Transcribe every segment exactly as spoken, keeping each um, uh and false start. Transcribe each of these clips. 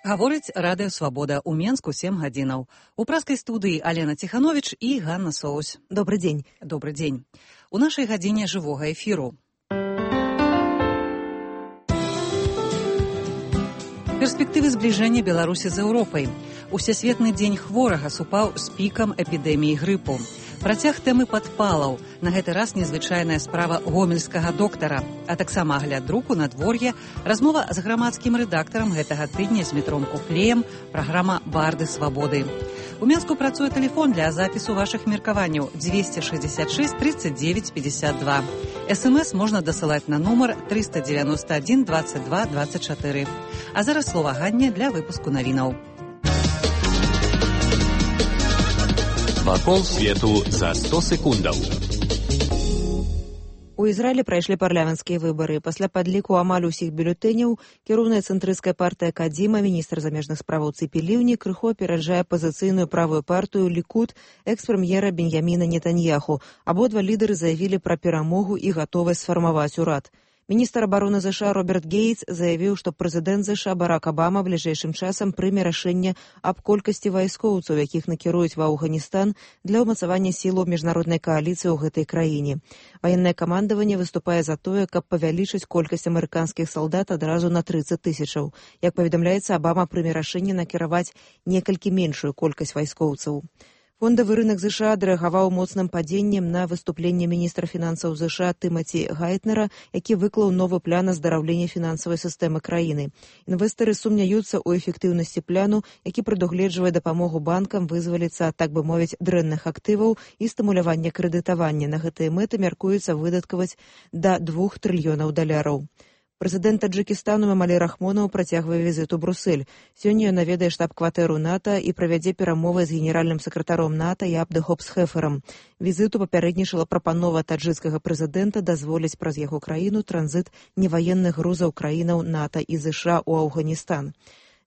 Гаворыць радыё «Свабода» ў Менску сем гадзінаў. У праскай студыі Алена Ціхановіч і Ганна Соусь. Добрый дзень. Добрый дзень. У нашай гадзіне жывога эфіру. Перспектывы збліжэння Беларусі з Еўропай. Усесветны дзень хворага супаў з пікам эпідэміі грыпу. Працяг тэмы падпалаў. На гэты раз незвычайная справа гомельскага доктара. А таксама агляд друку надвор'е, размова з грамадскім рэдактарам гэтага тыдня з Дмітром Куклеем, праграма «Барды свабоды». У Менску працуе тэлефон для запісу вашых меркаванняў дзвесце шэсцьдзесят шэсць тридцать девять пятьдесят два. СМС можна дасылаць на нумар триста девяносто один двадцать два двадцать четыре. А зараз слова Ганне для выпуску навінаў. Вакол свету за сто секундаў. У Ізраілі прайшлі парламенцкія выбары. Пасля падліку амаль усіх бюлетэняў кіроўная цэнтрысцкая партыя Кадзіма, міністр замежных справаў Ципи Ливни, крыху апераджае апазіцыйную правую партыю Лікуд экс-прэм'ера Беньяміна Нетаньяху. Абодва лідары заявілі пра перамогу і гатовасць сфармаваць урад. Міністр абароны ЗША Роберт Гейтс заявіў, што прэзідэнт ЗША Барак Абама бліжэйшым часам прыме рашэнне аб колькасці вайскоўцаў, якіх накіруюць ва Афганістан для ўмацавання сілаў міжнароднай кааліцыі ў гэтай краіне. Ваеннае камандаванне выступае за тое, каб павялічыць колькасць амерыканскіх салдат адразу на тридцать тысячаў. Як паведамляецца, Абама прыме рашэнне накіраваць некалькі меншую колькасць вайскоўцаў. Фондавы рынок ЗША адрэагаваў моцным падзеннем на выступленне міністра фінансаў ЗША Тымаці Гайтнера, які выклаў новы план аздараўлення фінансавай сістэмы краіны. Інвестары сумняюцца ў эфектыўнасці пляну, які прадугледжвае дапамогу банкам вызваліцца, так бы мовіць, дрэнных актываў і стымулявання крэдытавання. На гэтыя мэты мяркуецца выдаткаваць да двух трыльёнаў даляраў. Прэзідэнт Таджыкістану Эмомалі Рахмонаў працягвае візіт у Брусэль. Сёння ён наведае штаб-кватэру НАТО і правядзе перамовы з генеральным сакратаром НАТО і Абдыхопсхеферам. Візіту папярэднічала прапанова таджыкскага прэзідэнта дазволіць праз яго краіну транзіт неваенных грузаў краінаў НАТО і ЗША ў Афганістан.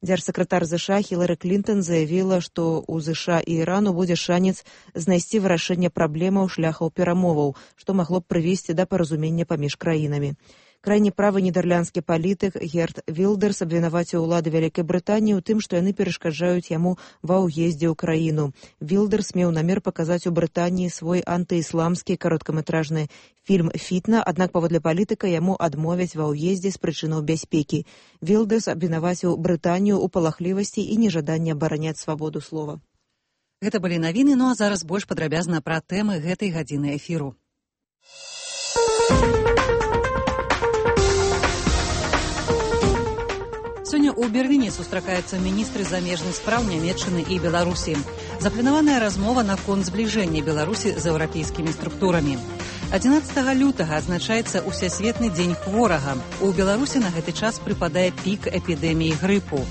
Дзяржсакратар ЗША Хілары Клінтон заявіла, што ў ЗША і Ірану будзе шанец знайсці вырашэнне праблемаў шляхаў перамоваў, што магло б прывесці да паразумення паміж краінамі. Крайні правы нідерландскі палітык Герт Вілдерс абвінаваціў улады Вялікай Брытаніі ў тым, што яны перашкаджаюць яму ва ўездзе ў краіну. Вілдерс меў намер паказаць у Брытаніі свой антыісламскі кароткаметражны фільм «Фітна», аднак паводле палітыка яму адмовяць ва ўездзе з прычынаў бяспекі. Вілдерс абвінаваціў Брытанію ў палахлівасці і нежаданні абараняць свабоду слова. Гэта былі навіны, ну а зараз больш падрабязна пра тэмы гэтай гадзіны эфіру. Сёння ў Берліне сустракаюцца міністры замежных спраў Нямецчыны і Беларусі. Запланаваная размова наконт збліжэння Беларусі з еўрапейскімі структурамі. адзінаццатага лютага адзначаецца Усесветны дзень хворага. У Беларусі на гэты час прыпадае пік эпідэміі грыпу.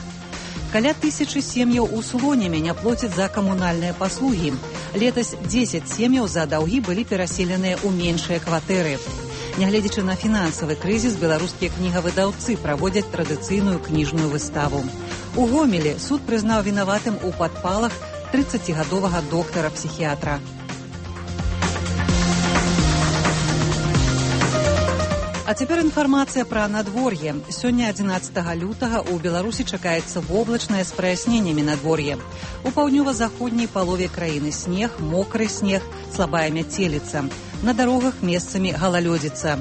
Каля тысячы сем'яў у Слоніме не плоцяць за камунальныя паслугі. Летась дзесяць сем'яў за даўгі былі пераселеныя ў меншыя кватэры. Нягледзячы на фінансавы крызіс, беларускія кнігавыдаўцы праводзяць традыцыйную кніжную выставу. У Гомелі суд прызнаў вінаватым у падпалах трыццацігадовага доктара-псіхіятра. А цяпер інфармацыя пра надвор'е. Сёння адзінаццатага лютага ў Беларусі чакаецца воблачнае з праясненнямі надвор'е. У паўднёва-заходняй палове краіны снег, мокры снег, слабая мяцеліца. На дарогах месцамі галалёдзіца.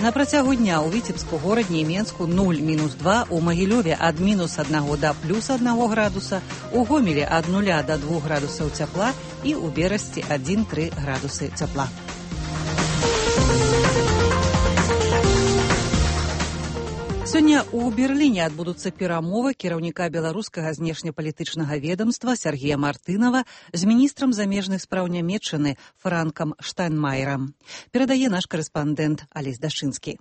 На працягу дня ў Віцебску, горадні і Менску нуль мінус два, у Магілёве ад мінус аднаго да плюс аднаго градуса, у Гомелі ад нуля да двух градусаў цяпла і ў Берасці адзін-тры градусы цяпла. Сёння ў Берліне адбудуцца перамовы кіраўніка беларускага знешнепалітычнага ведамства Сергея Мартынова з міністрам замежных спраў Нямецчыны Франкам Штайнмаерам. Перадае наш карэспандэнт Алесь Дашынскі.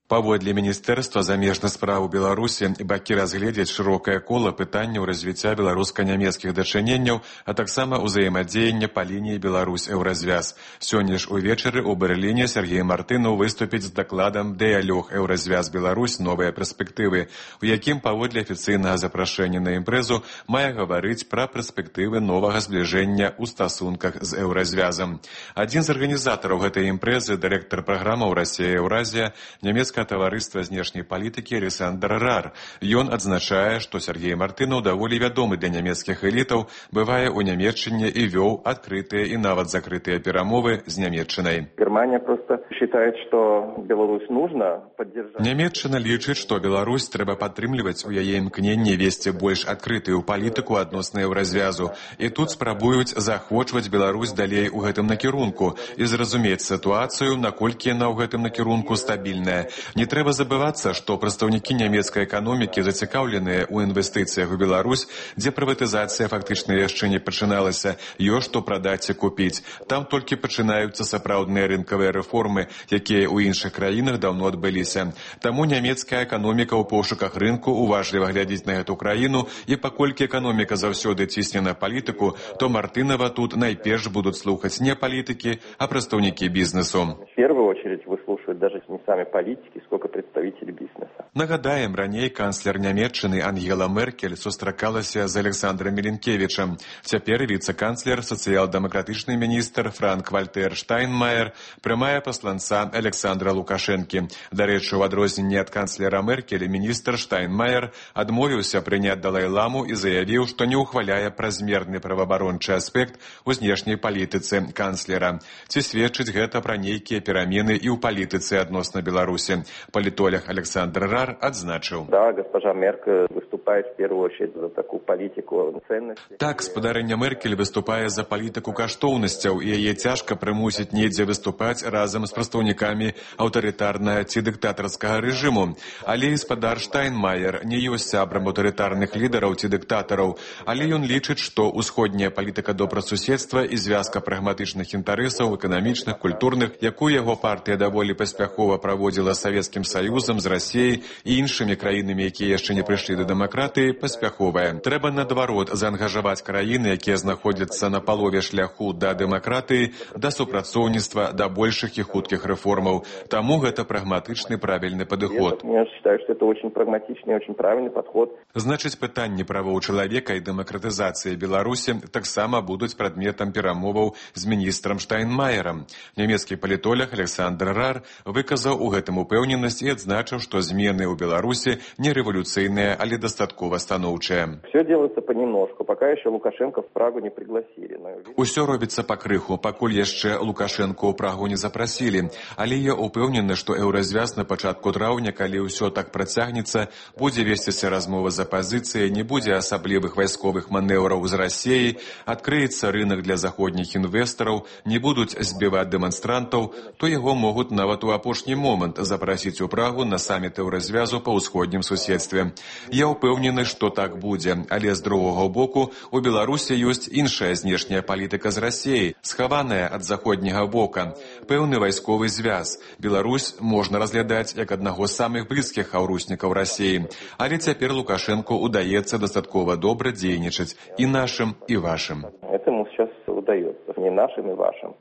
Паводле Міністэрства замежных спраў Беларусі бакі разгледзяць шырокае кола пытанняў развіцця беларуска-нямецкіх дачыненняў, а таксама ўзаемадзеяння па лініі Беларусь-Еўразвяз. Сёння ж увечары ў Берліне Сергей Мартынов выступіць з дакладам «Дыялог Еўразвяз Беларусь. Новыя перспектывы», у якім паводле афіцыйнага запрашэння на імпрэзу мае гаварыць пра перспектывы новага збліжэння ў стасунках з Еўразвязам. Адзін з арганізатараў гэтай імпрэзы, дырэктар праграмаў «Расія-Еўразія», нямецкі рэчка таварыства знешняй палітыкі Александр Рар. Ён адзначае, што Сергей Мартынаў даволі вядомы для нямецкіх элітаў, бывае ў Нямецчыне і вёў адкрытыя і нават закрытыя перамовы з Нямецчынай. Германия просто считает, что Беларусь нужно поддержать. Нямецчына лічыць, што Беларусь трэба падтрымліваць у яе імкненні весці больш адкрытую палітыку адносна еўразвязу. І тут спрабуюць заахвочваць Беларусь далей у гэтым накірунку і зразумець сітуацыю, наколькі яна ў гэтым накірунку стабільная. Не трэба забывацца, што прадстаўнікі нямецкай эканомікі зацікаўленыя ў інвестыцыях у Беларусь, дзе прыватызацыя фактычна яшчэ не пачыналася, ёсць што прадаць і купіць. Там толькі пачынаюцца сапраўдныя рынкавыя рэформы, якія ў іншых краінах даўно адбыліся. Таму нямецкая эканоміка ў пошуках рынку уважліва глядзіць на гэту краіну, і паколькі эканоміка заўсёды цісне на палітыку, то Мартынова тут найперш будуць слухаць не палітыкі, а прадстаўнікі бізнесу. В первую очередь выслушивают даже не сами политики, сколько представители бизнеса. Нагадаем, раней канцлер Нямецчыны Ангела Меркель сустракалася з Александром Міленкевічем. Цяпер віцэ-канцлер, сацыял-дэмакратычны міністр Франк-Вальтер Штайнмаер прымае пасланца Александра Лукашэнкі. Дарэчы, у адрозненне ад канцлера Меркель, міністр Штайнмаер адмовіўся прыняць Далай-ламу і заявіў, што не ўхваляе празмерны праваабарончы аспект у знешняй палітыцы канцлера. Ці сведчыць гэта пра нейкія перамены і ў палітыцы адносна Беларусі? Палітолог Александр Рар адзначыў. Да, госпожа Меркель выступает в первую очередь за такую политику ценностей. Так, спадарыня Меркель выступае за палітыку каштоўнасцяў, і яе цяжка прымусіць недзе выступаць разам з прадстаўнікамі аўтарытарнага ці дыктатарскага рэжыму. Але і спадар Штайнмаер не ёсць сябрам аўтарытарных лідараў ці дыктатараў, але ён лічыць, што ўсходняя палітыка добрасуседства і звязка прагматычных інтарэсаў эканамічных, культурных, якую яго партыя даволі паспяхова праводзіла з Савецкім Саюзам, з Расіяй і іншымі краінамі, якія яшчэ не прыйшлі да дэмакратыі, паспяховая. Трэба, наадварот, заангажаваць краіны, якія знаходзяцца на палове шляху да дэмакратыі, да супрацоўніцтва, да большых і хуткіх рэформаў. Таму гэта прагматычны правільны падыход. Я считаю, что это очень прагматичный, очень правильный подход. Значыць, пытанні правоў чалавека і дэмакратызацыі Беларусі таксама будуць прадметам перамоваў з міністрам Штайнмаерам. Нямецкі палітолог Александр Рар выказаў у гэтым упэўненасць і адзначыў, што змены ў Беларусі не рэвалюцыйныя, але дастаткова станоўчыя. Все делается понемножку, пока еще Лукашенко в Прагу не пригласили. Усё робіцца пакрыху, пакуль яшчэ Лукашенко ў Прагу не запрасілі. Але я упэўнены, што еўразвяз на пачатку траўня, калі ўсё так працягнецца, будзе весціся размова з апазіцыяй, не будзе асаблівых вайсковых манеўраў з Расіяй, адкрыецца рынак для заходніх інвестараў, не будуць збіваць дэманстрантаў, то яго могуць нават у апошні момант запрасіць у Прагу на саміт еўразвязу па ўсходнім суседстве. Я ўпэўнены, што так будзе, але з другога боку у Беларусі ёсць іншая знешняя палітыка з Расіяй, схаваная ад заходняга бока, пэўны вайсковы звяз. Беларусь можна разглядаць як аднаго з самых блізкіх хаўруснікаў Расіі, але цяпер Лукашенко удаецца дастаткова добра дзейнічаць і нашым, і вашым. Этому сейчас удается, не нашим и вашим.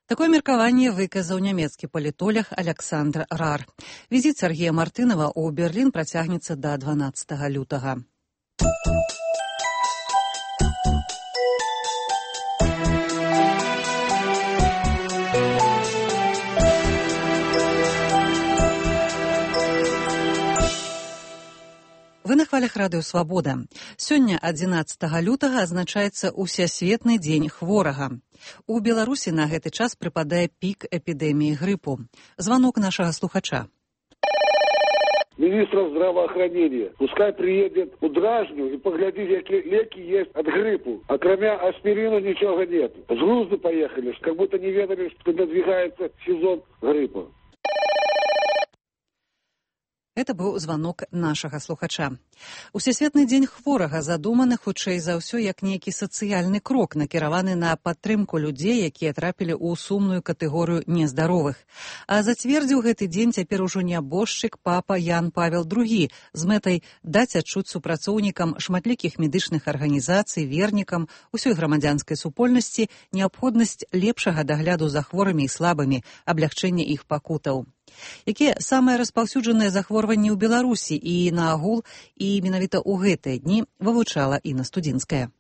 Такое меркаванне выказаў нямецкі палітолог Александр Рар. Візіт Сергея Мартынова ў Берлін працягнецца да дванаццатага лютага. Вы на хвалях радыё «Свабода». Сёння, адзінаццатага лютага, адзначаецца Усесветны дзень хворага. У Беларусі на гэты час прыпадае пік эпідэміі грыпу. Званок нашага слухача. Министра здравоохранения. Пускай приедет у Дражню и поглядит, какие леки есть от гриппу. А кроме аспирина ничего нет. С грузду поехали, как будто не ведали, что надвигается сезон гриппа. Это быў званок нашага слухача. Усесветны дзень хворага задуманы хутчэй за ўсё як нейкі сацыяльны крок, накіраваны на падтрымку людзей, якія трапілі ў сумную катэгорыю нездаровых. А зацвердзіў гэты дзень цяпер ужо нябожчык папа Ян Павел другі з мэтай даць адчуць супрацоўнікам шматлікіх медычных арганізацый, вернікам, усёй грамадзянскай супольнасці неабходнасць лепшага дагляду за хворымі і слабымі, аблягчэння іх пакутаў. Якія самыя распаўсюджаныя захворванні ў Беларусі і наагул, і менавіта ў гэтыя дні вывучала Інна Студзінская.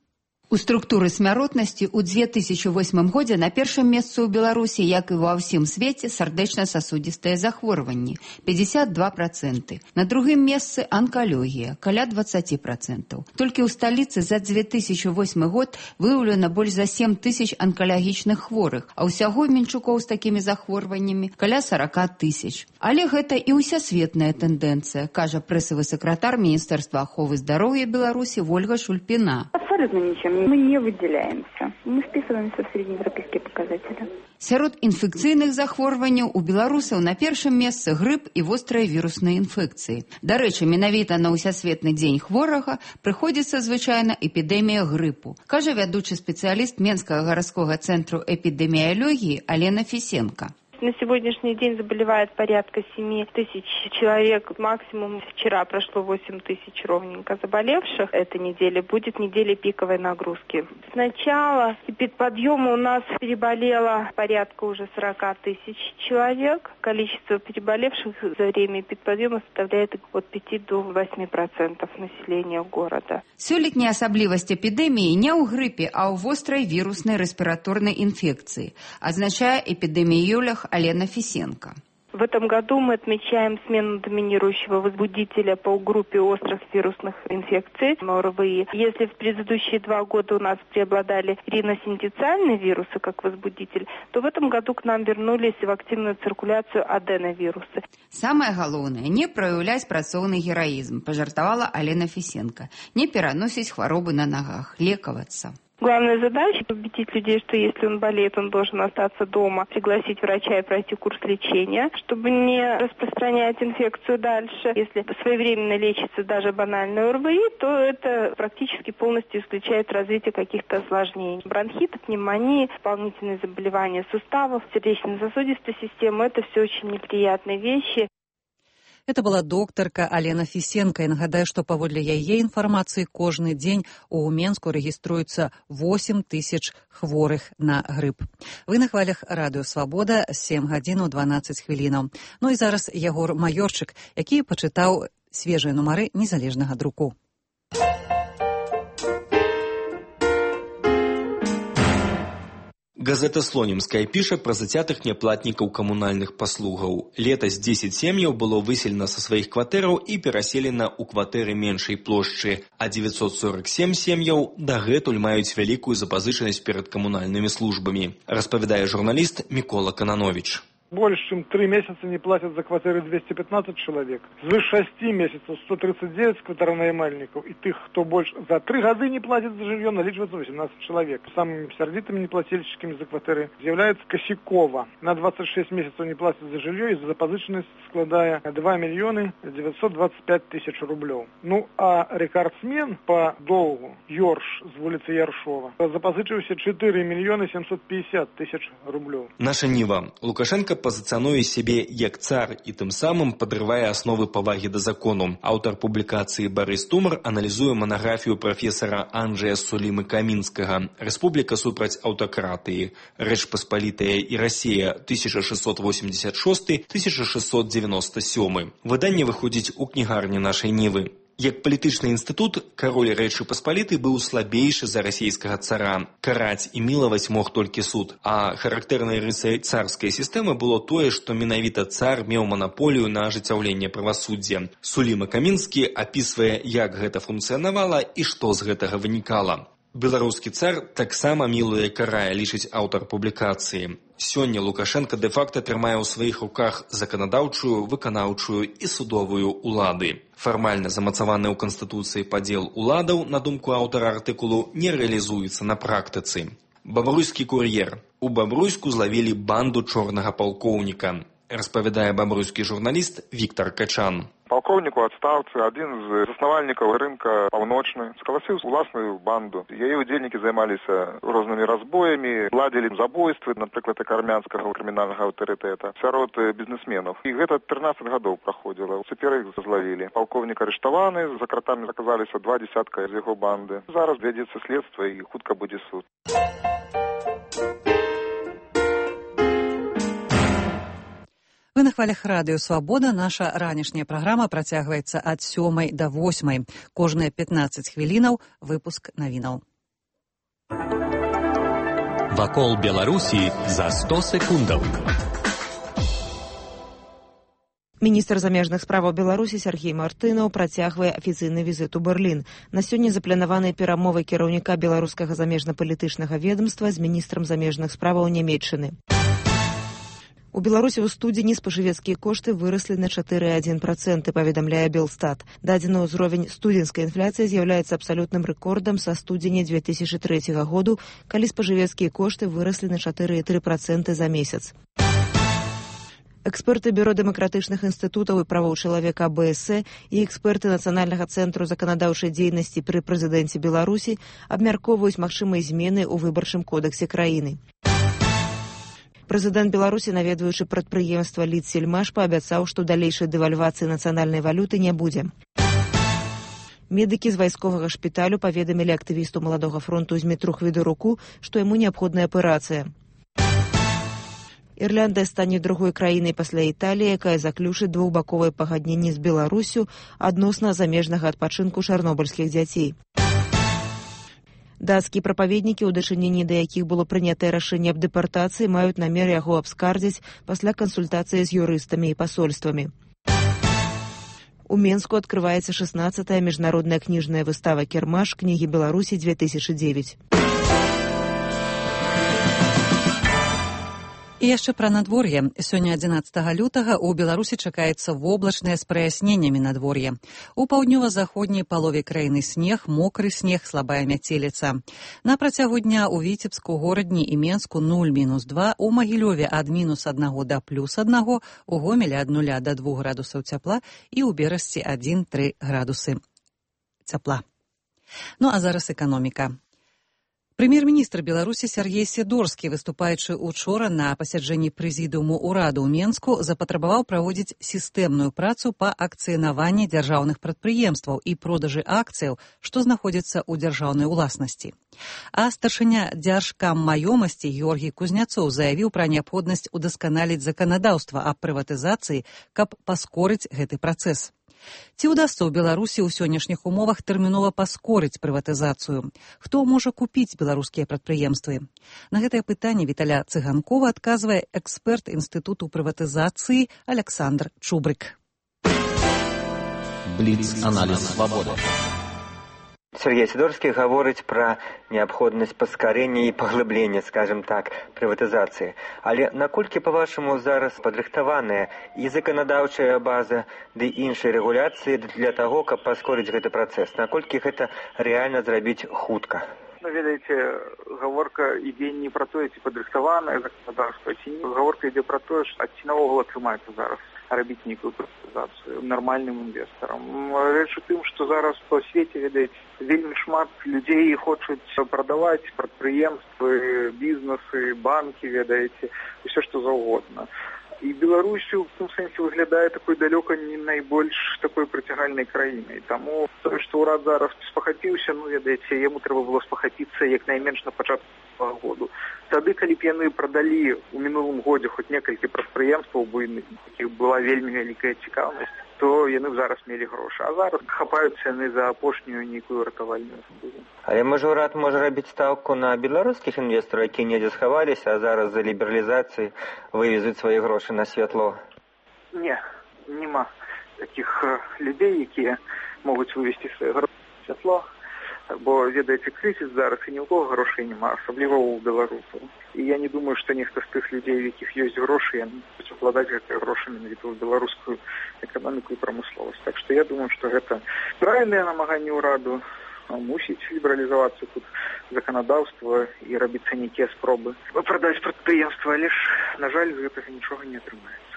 У структуры смяротнасці ў дзве тысячы восьмым годзе на першым месцы ў Беларусі, як і ва ўсім свеце, сардэчна-сасудзістыя захворванні – пятьдесят два процента. На другім месцы анкалогія – каля двадцать процентов. Толькі ў сталіцы за дзве тысячы восьмы год выяўлена больш за сем тысяч анкалагічных хворых, а ўсяго менчукоў з такімі захворваннямі каля сорок тысяч. Але гэта і ўсясветная тэндэнцыя, кажа прэсавы сакратар Міністэрства аховы здароўя Беларусі Вольга Шульпіна. Абсолютно ничем. Мы не выделяемся. Мы вписываемся в среднеевропейские показатели. Сярод інфекцыйных захворванняў у беларусаў на першым месцы грып і вострыя вірусныя інфекцыі. Дарэчы, менавіта на ўсясветны дзень хворага прыходзіцца звычайна эпідэмія грыпу, кажа вядучы спецыяліст Менскага гарадскога цэнтру эпідэміялогіі Алена Фісенка. На сегодняшний день заболевает порядка семь тысяч человек. Максимум вчера прошло восемь тысяч ровненько заболевших. Эта неделя будет неделей пиковой нагрузки. С начала эпидподъема у нас переболело порядка уже сорок тысяч человек. Количество переболевших за время эпидподъема составляет от пяти до восьми процентов населения города. Сёлетняя асаблівасць эпідэміі не ў грыпе, а ў вострай віруснай рэспіраторнай інфекцыі, азначае эпідэміёлог Алена Фисенко. В этом году мы отмечаем смену доминирующего возбудителя по группе острых вирусных инфекций ОРВИ. Если в предыдущие два года у нас преобладали риносинтециальные вирусы как возбудитель, то в этом году к нам вернулись в активную циркуляцию аденовирусы. Самое главное, не проявлять працоўны героизм, пожартовала Алена Фисенко. Не переносить хворобы на ногах, лековаться. Главная задача – убедить людей, что если он болеет, он должен остаться дома, пригласить врача и пройти курс лечения, чтобы не распространять инфекцию дальше. Если своевременно лечится даже банальное ОРВИ, то это практически полностью исключает развитие каких-то осложнений. Бронхит, пневмонии, дополнительные заболевания суставов, сердечно-сосудистой системы – это все очень неприятные вещи. Это была доктарка Алена Фісенка. І нагадаю, што паводле яе інфармацыі кожны дзень у Менску рэгіструецца восемь тысяч хворых на грып. Вы на хвалях радыё Свабода, сем гадзін дванаццаць хвілінаў. Ну і зараз Ягор Маёрчык, які пачытаў свежыя нумары незалежнага друку. Газета «Слонімская» піша пра зацятых няплатнікаў камунальных паслугаў. Летась дзесяць сем'яў было выселена са сваіх кватэраў і пераселена ў кватэры меншай плошчы, а девятьсот сорок семь сем'яў дагэтуль маюць вялікую запазычанасць перад камунальнымі службамі, распавядае журналіст Мікола Кананович. Больше, чем три месяца не платят за квартиры двести пятнадцать человек. Свыше шести месяцев сто тридцать девять квартиронаймальников. И тех, кто больше за три года не платит за жилье, наличивается восемнадцать человек. Самыми сердитыми неплательщиками за квартиры является Косякова. На двадцать шесть месяцев не платит за жилье, из-за запозыченности складая два миллиона девятьсот двадцать пять тысяч рублей. Ну, а рекордсмен по долгу Йорш с улицы Яршова запозычивался четыре миллиона семьсот пятьдесят тысяч рублей. Наша Ніва. Лукашенко пазіцыянуе сябе як цар і тым самым падрывае асновы павагі да закону. Аўтар публікацыі Барыс Тумар аналізуе манаграфію прафесара Анджэя Сулімы-Камінскага «Рэспубліка супраць аўтакратыі. Рэч Паспалітая і Расія тысяча шестьсот восемьдесят шестой — тысяча шестьсот девяносто седьмой». Выданне выходзіць у кнігарні нашай Нівы. Як палітычны інстытут, кароль Рэчы Паспалітай быў слабейшы за расійскага цара. Караць і мілаваць мог толькі суд. А характэрнай рысай царскай сістэмы было тое, што менавіта цар меў манаполію на ажыццяўленне правасуддзя. Суліма-Камінскі апісвае, як гэта функцыянавала і што з гэтага вынікала. Беларускі цар таксама мілуе карае, лічыць аўтар публікацыі. Сёння Лукашенко дэ-факта трымае ў сваіх руках заканадаўчую, выканаўчую і судовую улады. Фармальна замацаваны ў Канстытуцыі падзел уладаў, на думку аўтара артыкулу, не рэалізуецца на практыцы. Бабруйскі кур'ер. У Бабруйску злавілі банду чорнага палкоўніка, распавядае бабруйскі журналіст Віктор Качан. Полковник у отставцы, один из основальников рынка Паўночны, сколосил власную банду. Яе удзельнікі займаліся рознымі разбоями, ладзілі забойствы, напрыклад, армянскага крымінальнага аўтарытэта сярод бізнесменов. І гэта тринадцать гадоў праходзіла. Цяпер іх злавілі. Полковник арыштаваны, за кратамі аказаліся два десятка з яго банды. Зараз вядзецца следства і хутка будзе суд. Вы на хвалях радыё Свабода. Наша ранішняя праграма працягваецца ад сёмай да восьмай. Кожныя пятнаццаць хвілінаў выпуск навінаў. Вакол Беларусі за сто секундаў. Міністр замежных справаў Беларусі Сергей Мартынаў працягвае афіцыйны візіт у Берлін. На сёння запланаваныя перамовы кіраўніка беларускага замежна-палітычнага ведомства з міністрам замежных справаў Нямецчыны. У Беларусі ў студзені спажывецкія кошты выраслі на чатыры цалых адзін працэнт, паведамляе Белстат. Дадзены ўзровень студзенскай інфляцыі з'яўляецца абсалютным рэкордам са студзеня дзве тысячы трэцяга году, калі спажывецкія кошты выраслі на чатыры цалых тры працэнта за месяц. Эксперты Бюро дэмакратычных інстытутаў і правоў чалавека АБС і эксперты Нацыянальнага цэнтру заканадаўчай дзейнасці пры прэзідэнце Беларусі абмяркоўваюць магчымыя змены ў выбарчым кодэксе краіны. Прэзідэнт Беларусі, наведваючы прадпрыемства Лідсельмаш, паабяцаў, што далейшай дэвальвацыі нацыянальнай валюты не будзе. Медыкі з вайсковага шпіталю паведамілі актывісту Маладога фронту Змітру Хвідоруку, што яму неабходная аперацыя. Ірландыя стане другой краінай пасля Італіі, якая заключыць двухбаковыя пагадненні з Беларусю адносна замежнага адпачынку чарнобыльскіх дзяцей. Дацкія прапаведнікі, у дачыненні да якіх было прынятае рашэнне аб дэпартацыі, маюць намер яго абскардзіць пасля кансультацыі з юрыстамі і пасольствамі. У Менску адкрываецца шаснаццатая міжнародная кніжная выстава «Кірмаш. Кнігі Беларусі две тысячи девять». І яшчэ пра надвор'е. Сёння адзінаццатага лютага ў Беларусі чакаецца воблачнае з праясненнямі надвор'е. У паўднёва-заходняй палове краіны снег, мокры снег, слабая мяцеліца. На працягу дня ў Віцебску, Горадні і Менску нуль мінус два, у Магілёве ад мінус аднаго да плюс аднаго, у Гомелі ад нуля да двух градусаў цяпла і ў Берасці адзін тры градусы цяпла. Ну а зараз эканоміка. Прэм'ер-міністр Беларусі Сергей Сідорскі, выступаючы учора на пасяджэнні прэзідыуму ўраду ў Менску, запатрабаваў праводзіць сістэмную працу па акцыянаванні дзяржаўных прадпрыемстваў і продажы акцыяў, што знаходзяцца ў дзяржаўнай уласнасці. А старшыня дзяржкаммаёмасці Георгій Кузняцоў заявіў пра неабходнасць удасканаліць заканадаўства аб прыватызацыі, каб паскорыць гэты працэс. Ці ўдасца ў Беларусі ў сённяшніх умовах тэрмінова паскорыць прыватызацыю? Хто можа купіць беларускія прадпрыемствы? На гэтае пытанне Віталя Цыганкова адказвае эксперт Інстытуту прыватызацыі Александр Чубрык. Бліц-аналіз «Свабода». Сергей Сидорский говорит про необходимость поскорения и поглубления, скажем так, приватизации. Але наколькі, по-вашему, зараз падрыхтаваная и законодаўчая база, да и іншыя регуляции для того, каб паскорыць гэты процесс? Наколькі гэта реально зрабіць хутка? Ну, ведаеце, гаворка ідзе не про тое, ці падрыхтаванае законодаўства, ці не. Гаворка ідзе про тое, што ці наогул атрымаецца зараз рабіць нейкую прыватызацыю нармальным інвестарам. Рэч у тым, што зараз па свеце, ведаеце, вельмі шмат людзей хочуць прадаваць прадпрыемствы, бізнесы, банкі, ведаеце, усё што заўгодна. І Беларусь у том сэнсе выглядае такой далёка не найбольш такой прыцягальнай краінай. Таму тое, што ўрад зараз спахапіўся, ну, ведаеце, яму трэба было спахапіцца як найменш на пачатку году. Тады, калі б яны прадалі ў мінулым годзе хоць некалькі прадпрыемстваў буйных, якіх была вельмі вялікая цікаўнасць, то яны б зараз мелі грошы. А зараз хапаюцца яны за апошнюю нейкую ратавальную сабою. Але можа ўрад можа рабіць стаўку на беларускіх інвестараў, якія недзе схаваліся, а зараз за лібералізацыі вывезуць свае грошы на святло? Не, нема такіх людзей, якія могуць вывесці свае грошы на святло. Бо, ведаеце, крызіс зараз і ні ў кого грошай няма, асабліва ў беларусаў. І я не думаю, што нехта з тых людзей, у якіх ёсць грошы, яны будуць укладаць гэтыя грошы менавіта ў беларускую эканоміку і прамысловасць. Так што я думаю, што гэта правільнае намаганне ўраду, мусіць лібералізавацца тут заканадаўства і рабіцца нейкія спробы прадаць прадпрыемства, але ж, на жаль, з гэтага нічога не атрымаецца.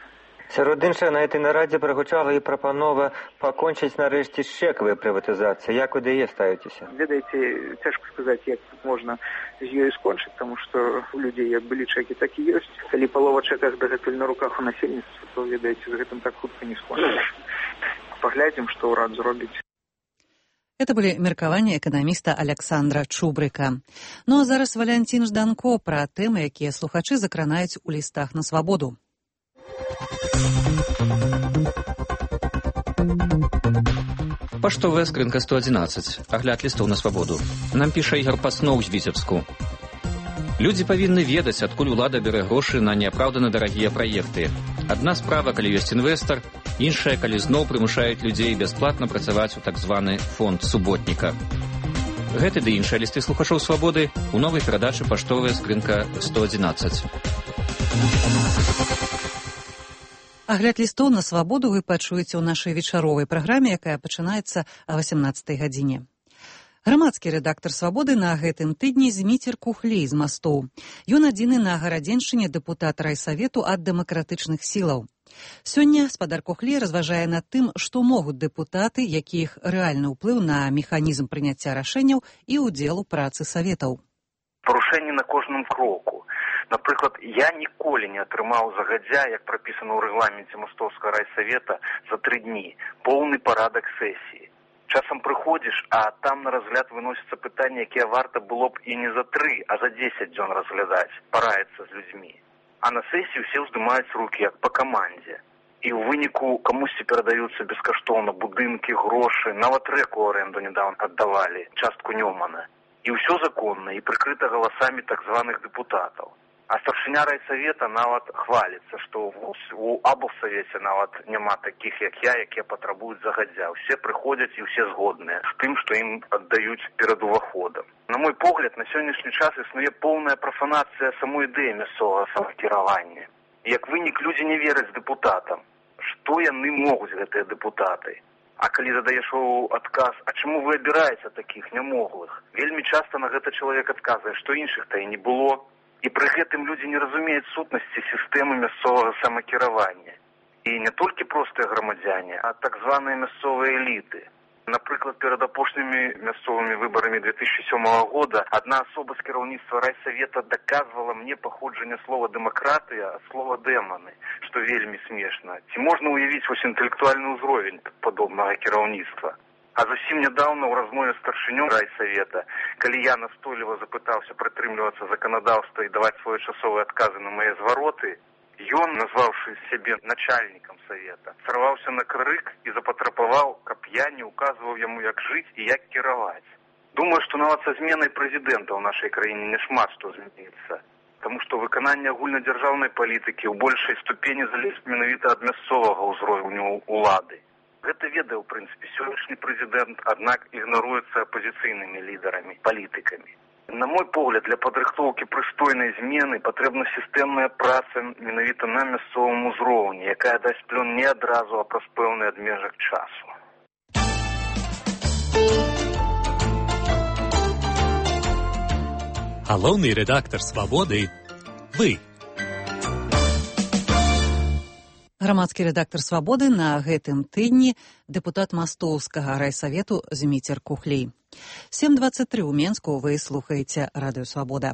Сярод іншага, на этой нарадзе прагучала і прапанова пакончыць нарэшце з чэкавай прыватызацыяй. Як вы да яе ставіцеся? Ведаеце, цяжка сказаць, як тут можна з ёй скончыць, таму што у людзей як былі чэкі, так і ёсць. Калі палова чэках дагэтуль на руках у насельніцтва, то, ведаеце, з гэтым так хутка не скончыш. Паглядзім, што ўрад зробіць. Это были меркаванні эканаміста Александра Чубрыка. Ну а зараз Валянцін Жданко пра тэмы, якія слухачы закранаюць у лістах на свабоду. Паштовая скрынка сто одиннадцать. Агляд лістоў на свабоду. Нам піша Ігор Пасноў з Віцебску. Людзі павінны ведаць, адкуль улада бярэ грошы на неапраўдана дарагія праекты. Адна справа, калі ёсць інвестар, іншая, калі зноў прымушаюць людзей бясплатна працаваць у так званы фонд суботніка. Гэты ды іншыя лісты слухачоў свабоды у новай перадачы «Паштовая скрынка сто одиннадцать». Агляд лістоў на свабоду вы пачуеце ў нашай вечаровай праграме, якая пачынаецца о восемнадцатай гадзіне. Грамадскі рэдактар «Свабоды» на гэтым тыдні Зміцер Кухлей з Мастоў. Ён адзіны на Гарадзеншчыне дэпутат райсавету ад дэмакратычных сілаў. Сёння спадар Кухлей разважае над тым, што могуць дэпутаты, якіх рэальны ўплыў на механізм прыняцця рашэнняў і ўдзел у працы саветаў. Парушэнні на кожным кроку. Напрыклад, я ніколі не атрымаў загадзя, як прапісана ў рэгламенце Мастоўскага райсавета, за тры дні поўны парадак сесіі. Часам прыходзіш, а там на разгляд выносіцца пытанні, якія варта было б і не за тры, а за дзесяць дзён разглядаць, параіцца з людзьмі. А на сесіі ўсе ўздымаюць рукі, як па камандзе. І ў выніку камусьці перадаюцца бескаштоўна будынкі, грошы, нават рэку арэнду нядаўна аддавалі, частку Нёмана. І ўсё законна, і прыкрыта галасамі так званых дэпутатаў. А старшыня райсавета нават хваліцца, што у аблсавеце нават няма такіх, як я, якія патрабуюць загадзя. Усе прыходзяць і ўсе згодныя з тым, што ім аддаюць перад уваходам. На мой погляд, на сённяшні час існуе поўная прафанацыя самой ідэі мясцовага самакіравання. Як вынік, людзі не вераць дэпутатам. Што яны могуць, гэтыя дэпутаты? А калі задаеш адказ, а чаму вы абіраеце такіх нямоглых? Вельмі часта на гэта чалавек адказвае, што іншых-то і не было. І пры гэтым людзі не разумеюць сутнасці сістэмы мясцовага самакіравання. І не толькі простыя грамадзяне, а так званыя мясцовыя эліты. Напрыклад, перад апошнімі мясцовымі выбарамі две тысячи сёмага года адна асоба з кіраўніцтва райсавета даказвала мне паходжанне слова «дэмакратыя» ад слова «дэманы», што вельмі смешна. Ці можна ўявіць вось інтэлектуальны ўзровень падобнага кіраўніцтва? А зусім нядаўна ў размове з старшынём райсавета, калі я настойліва запытаўся прытрымлівацца заканадаўства і даваць своечасовыя адказы на мае звароты, ён, назваўшы сябе начальнікам савета, сарваўся на крык і запатрабаваў, каб я не указваў яму, як жыць і як кіраваць. Думаю, што нават са зменай прэзідэнта ў нашай краіне няшмат што зменіцца, таму што выкананне агульнадзяржаўнай палітыкі ў большай ступені залежыць менавіта ад мясцовага ўзроўню улады. Гэта ведае, у прынцыпе, сённяшні прэзідэнт, аднак ігнаруецца апазіцыйнымі лідарамі, палітыкамі. На мой погляд, для падрыхтоўкі прыстойнай змены патрэбна сістэмная праца менавіта на мясцовым узроўні, якая дасць плён не адразу, а праз пэўны адмежак часу. Галоўны рэдактар «Свабоды» – вы. Грамадскі рэдактар «Свабоды» на гэтым тыдні дэпутат Мастоўскага райсавету Зміцер Кухлей. сем двадцать три ў Менску вы слухаеце радыё «Свабода».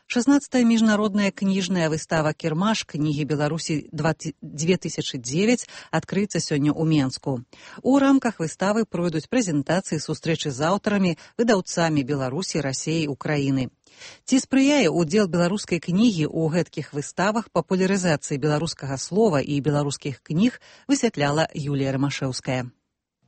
шаснаццатая міжнародная кніжная выстава «Кірмаш. Кнігі Беларусі две тысячи девять» адкрыецца сёння ў Менску. У рамках выставы пройдуць прэзентацыі, сустрэчы з аўтарамі, выдаўцамі Беларусі, Расіі, Украіны. Ці спрыяе ўдзел беларускай кнігі ў гэткіх выставах папулярызацыі беларускага слова і беларускіх кніг, высвятляла Юлія Рамашэўская.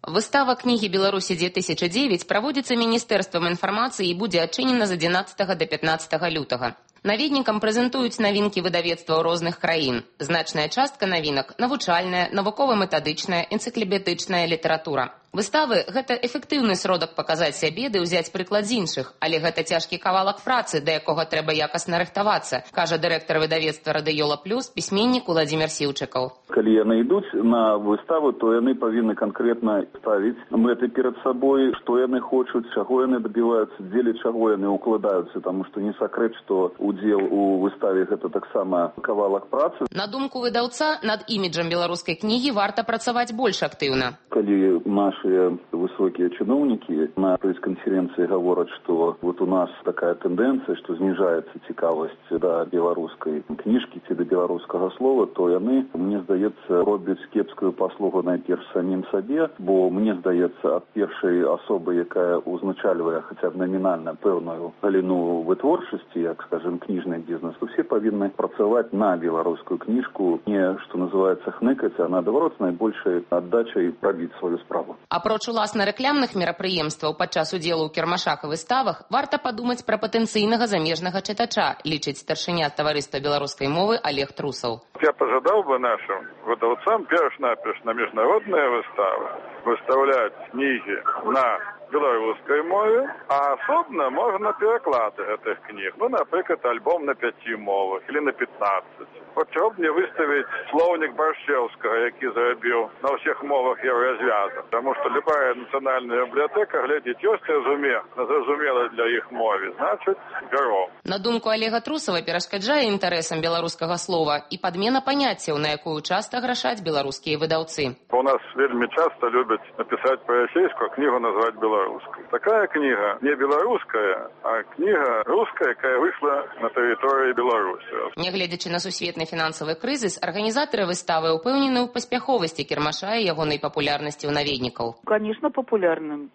Выстава кнігі Беларусі две тысячи девять праводзіцца Міністэрствам інфармацыі і будзе адчынена з адзінаццатага да пятнаццатага лютага. Наведнікам прэзентуюць навінкі выдавецтваў розных краін. Значная частка навінак – навучальная, навукова-метадычная, энцыклапедычная літаратура. Выставы – гэта эфектыўны сродак паказаць сябе ды ўзяць прыклад з іншых, але гэта цяжкі кавалак працы, да якога трэба якасна рыхтавацца, кажа дырэктар выдавецтва «Радыёла Плюс» пісьменнік Уладзімір Сіўчыкаў. Калі яны ідуць на выставу, то яны павінны канкрэтна ставіць мэты перад сабой, што яны хочуць, чаго яны дабіваюцца, дзеля чаго яны укладаюцца, таму што не сакрэт, што удзел у выставе гэта таксама кавалак працы. На думку выдаўца, над іміджам беларускай кнігі варта працаваць больш актыўна. Калі нашыя высокія чыноўнікі на прэс-канферэнцыі гавораць, што вот у нас такая тэндэнцыя, што зніжаецца цікавасць да беларускай кніжкі ці да беларускага слова, то яны, мне здаецца, робяць кепскую паслугу найперш самім сабе, бо мне здаецца, ад першай асобы, якая узначальвае хаця б намінальна пэўную галіну вытворчасці, як, скажем, кніжны бізнес, то все павінны працаваць на беларускую кніжку, не, што называецца, хныкаць, а наадварот, з найбольшай аддачай рабіць сваю справу. Апроч уласна рэкламных мерапрыемстваў падчас удзелу ў кірмашах і выставах, варта падумаць пра патэнцыйнага замежнага чытача, лічыць старшыня таварыства беларускай мовы Олег Трусаў. Я пожадал бы нашим выдавцам перш-наперш на международные выставы выставлять книги на белорусской мове, а особенно можно переклады этих книг. Ну, например, альбом на пяти мовах или на пятнадцать. Вот чего бы мне выставить словник Борщевского, який заробил на всех мовах Еврозвяза. Потому что любая национальная библиотека глядит, есть разуме, зразумела для их мовы, значит, берем. На думку Олега Трусова перашкаджае інтарэсам беларускага слова і падмена паняццяў, на якую часта грашаць беларускія выдаўцы. У нас вельмі часто любят написать по-российски, книгу назвать белорусской. Такая книга не белорусская, а книга русская, якая вышла на территории Беларуси. Нягледзячы на сусветны фінансавы крызіс, арганізатары выставы ўпэўнены ў паспяховасці кірмаша і ягонай папулярнасці ў наведнікаў. Конечно, популярным.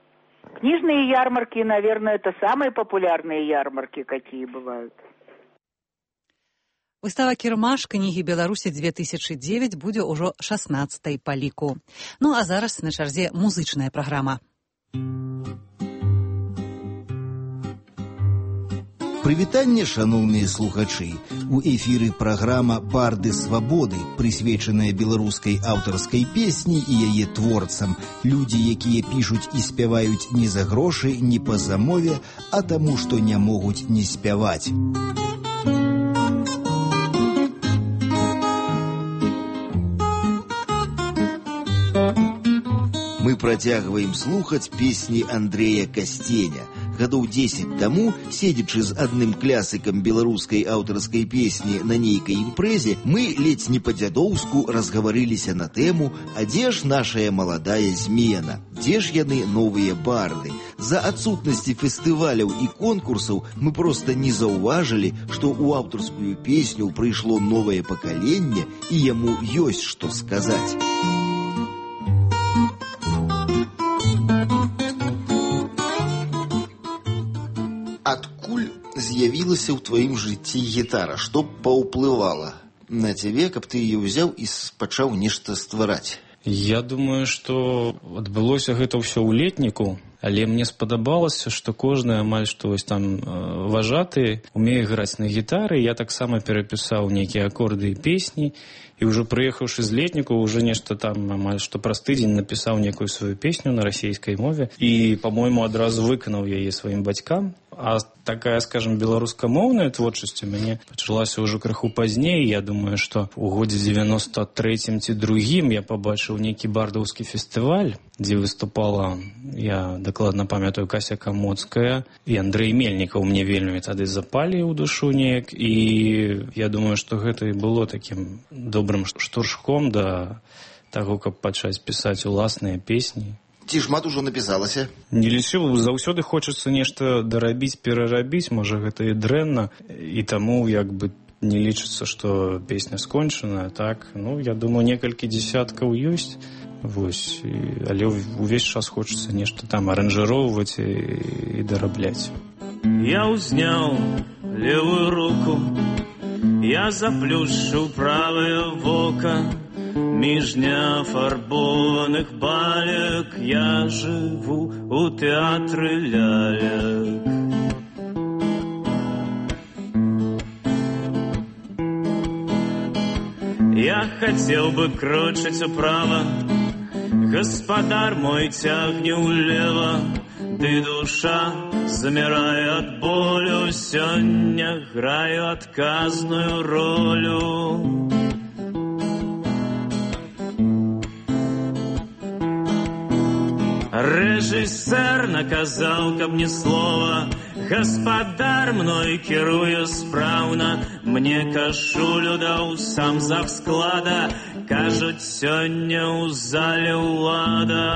Книжные ярмарки, наверное, это самые популярные ярмарки, какие бывают. Выстава «Кірмаш. Кнігі Беларусі две тысячи девять» будзе ўжо шаснаццатай па ліку. Ну а зараз на чарзе музычная праграма. Прывітанне, шаноўныя слухачы. У эфіры праграма «Барды свабоды», прысвечаная беларускай аўтарскай песні і яе творцам. Людзі, якія пішуць і спяваюць не за грошы, не па замове, а таму, што не могуць не спяваць. Мы працягваем слухаць песні Андрэя Касценя. Гадоў дзесяць таму, седзячы з адным клясыкам беларускай аўтарскай песні на нейкай імпрэзе, мы ледзь не па-дзядоўску разгаварыліся на тэму, а дзе ж нашая маладая змена? Дзе ж яны новыя барды? За адсутнасці фестываляў і конкурсаў мы проста не заўважылі, што ў аўтарскую песню прыйшло новае пакаленне і яму ёсць што сказаць. З'явілася ў тваім жыцці гітара, што паўплывала на цябе, каб ты яе ўзяў і пачаў нешта ствараць? Я думаю, што адбылося гэта ўсё ў летніку, але мне спадабалася, што кожны амаль што вось там важаты умее граць на гітары. Я таксама перапісаў нейкія акорды і песні, і ўжо прыехаўшы з летніку, уже нешта там амаль што праз тыдзень напісаў некую сваю песню на расійскай мове і, па-мойму, адразу выканаў яе сваім бацькам. А такая, скажем, беларускамоўная творчасць у мяне пачалася ўжо крыху пазней. Я думаю, што ў годзе дзевяноста трэцім ці другім я пабачыў нейкі бардаўскі фестываль, дзе выступала, я дакладна памятаю, Кася Камоцкая і Андрэй Мельнікаў. Мне вельмі тады запалі ў душу неяк, і я думаю, што гэта і было такім добрым штуршком да таго, каб пачаць пісаць уласныя песні. Ці шмат ужо напісалася? Не лічыў, заўсёды хочацца нешта дарабіць, перарабіць, можа гэта і дрэнна, і таму як бы не лічыцца, што песня скончаная, так? Ну, я думаю, некалькі дзесяткаў ёсць, вось, і, але ўвесь час хочацца нешта там аранжыроўваць і, і дарабляць. Я ўзняў левую руку, я заплюшчыў правае вока, між неафарбованых балек я жыву у тэатры лялек. Я хацеў бы крочыць управа, гаспадар мой цягне ўлева, ды душа замірае ад болю, сёння граю адказную ролю. Рэжысэр наказаў, каб ні слова, гаспадар мной кіруе спраўна, мне кашулю даў сам завсклада, кажуць, сёння ў зале ўлада.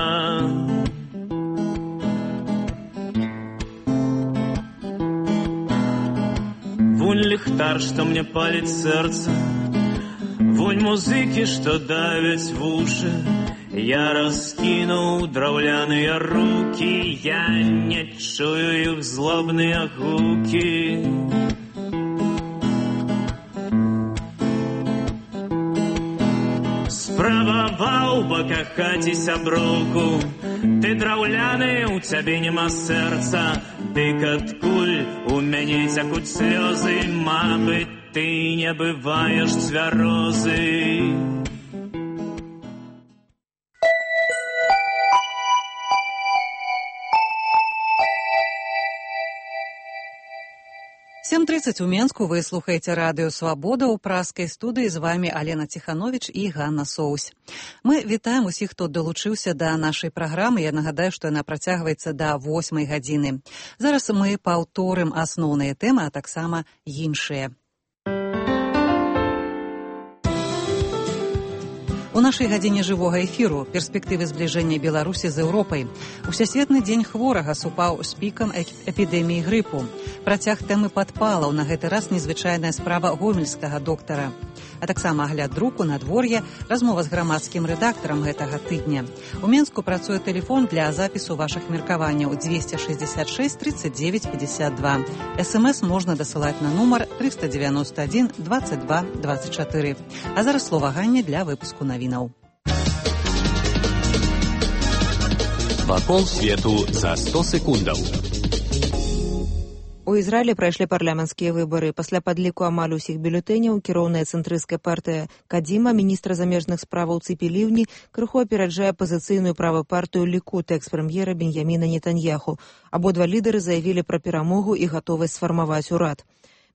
Вунь ліхтар, што мне паліць сэрца, вунь музыкі, што давяць вушы, я раскінуў драўляныя рукі, я не чую іх злобныя гукі. Справа захаваў па кахаці сяброўку. Ты драўляны, у цябе няма сэрца, дык адкуль у мяне цякуць слёзы, мабыць, ты не бываеш цвярозы. сем тридцать у Менску. Вы слухаете радыё «Свабода». У праскай студыі з вами Алена Ціхановіч і Ганна Соусь. Мы вітаем усіх, хто далучыўся да нашай праграмы. Я нагадаю, што яна працягваецца да восьмай гадзіны. Зараз мы паўторым асноўныя тэмы, а таксама іншыя. У нашай гадзіне жывога эфіру перспектывы збліжэння Беларусі з Еўропай. Усесветны дзень хворага супаў з пікам эпідэміі грыпу. Працяг тэмы падпалаў, на гэты раз незвычайная справа гомельскага доктара. А таксама агляд друку, надвор'я, размова з грамадскім рэдактарам гэтага тыдня. У Менску працуе тэлефон для запісу вашых меркаванняў двести шестьдесят шесть тридцать девять пятьдесят два. СМС можна дасылаць на нумар триста девяносто один двадцать два двадцать четыре. А зараз слова Ганне для выпуску навінаў. Вакол свету за сто секундаў. У Ізраілі прайшлі парламенцкія выбары. Пасля падліку амаль усіх бюлетэняў кіроўная цэнтрысцкая партыя Кадзіма, міністра замежных справаў Ципи Ливни, крыху апераджае апазіцыйную правую партыю Лікуд экс-прэм'ера Беньяміна Нетаньяху. Абодва лідары заявілі пра перамогу і гатовасць сфармаваць урад.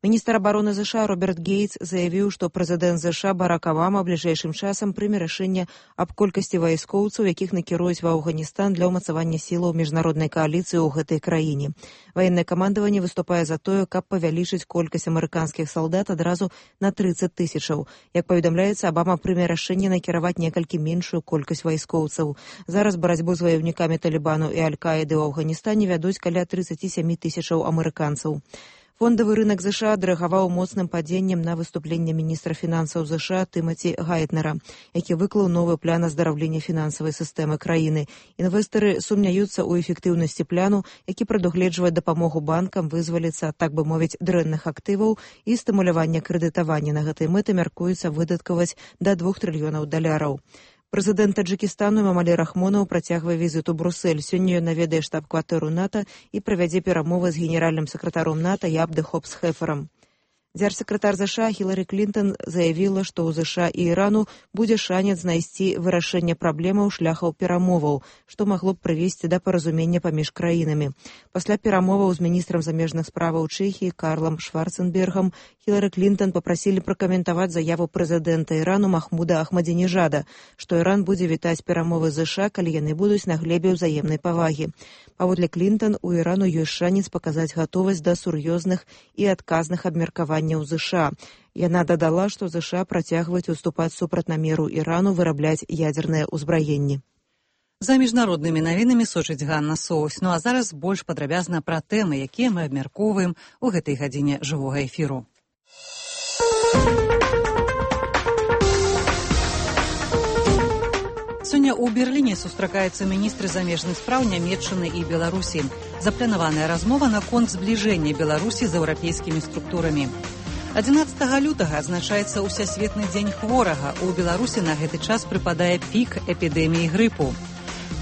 Міністр абароны ЗША Роберт Гейтс заявіў, што прэзідэнт ЗША Барак Абама бліжэйшым часам прыме рашэнне аб колькасці вайскоўцаў, якіх накіруюць ва Афганістан для ўмацавання сілаў міжнароднай кааліцыі ў гэтай краіне. Ваеннае камандаванне выступае за тое, каб павялічыць колькасць амерыканскіх салдат адразу на тридцать тысячаў. Як паведамляецца, Абама прыме рашэнне накіраваць некалькі меншую колькасць вайскоўцаў. Зараз барацьбу з ваяўнікамі Талібану і Аль-Каіды ў Афганістане вядуць каля тридцать семь тысячаў амерыканцаў. Фондавы рынок ЗША адрэагаваў моцным падзеннем на выступленне міністра фінансаў ЗША Тымаці Гайтнера, які выклаў новы план аздараўлення фінансавай сістэмы краіны. Інвестары сумняюцца ў эфектыўнасці плану, які прадугледжвае дапамогу банкам вызваліцца, так бы мовіць, дрэнных актываў і стымулявання крэдытавання. На гэтай мэты мяркуецца выдаткаваць да двух трыльёнаў даляраў. Прэзідэнт Таджыкістану Эмомалі Рахмонаў працягвае візіт у Брусэль. Сёння ён наведае штаб-кватэру НАТО і правядзе перамовы з генеральным сакратаром НАТО Ябде Хопс-Хеферам. Дзяржсакратар ЗША Хілары Клінтон заявіла, што ў ЗША і Ірану будзе шанец знайсці вырашэнне праблемаў шляхаў перамоваў, што магло б прывесці да паразумення паміж краінамі. Пасля перамоваў з міністрам замежных справаў Чэхіі Карлам Шварценбергам Хілары Клінтон папрасілі пракаментаваць заяву прэзідэнта Ірану Махмуда Ахмадзінежада, што Іран будзе вітаць перамовы ЗША, калі яны будуць на глебе ўзаемнай павагі. Паводле Клінтон, у Ірану ёсць шанец паказаць гатовасць да сур'ёзных і адказных абмеркаванняў у ЗША. Яна дадала, што ЗША працягваюць уступаць супраць намеру Ірану вырабляць ядзернае ўзбраенне. За міжнароднымі навінамі сочыць Ганна Соусь. Ну а зараз больш падрабязна пра тэмы, якія мы абмяркоўваем у гэтай гадзіне жывога эфіру. Сёння ў Берліне сустракаюцца міністры замежных спраў Нямецчыны і Беларусі. Запланаваная размова наконт збліжэння Беларусі з еўрапейскімі структурамі. адзінаццатага лютага адзначаецца Усесветны дзень хворага. У Беларусі на гэты час прыпадае пік эпідэміі грыпу.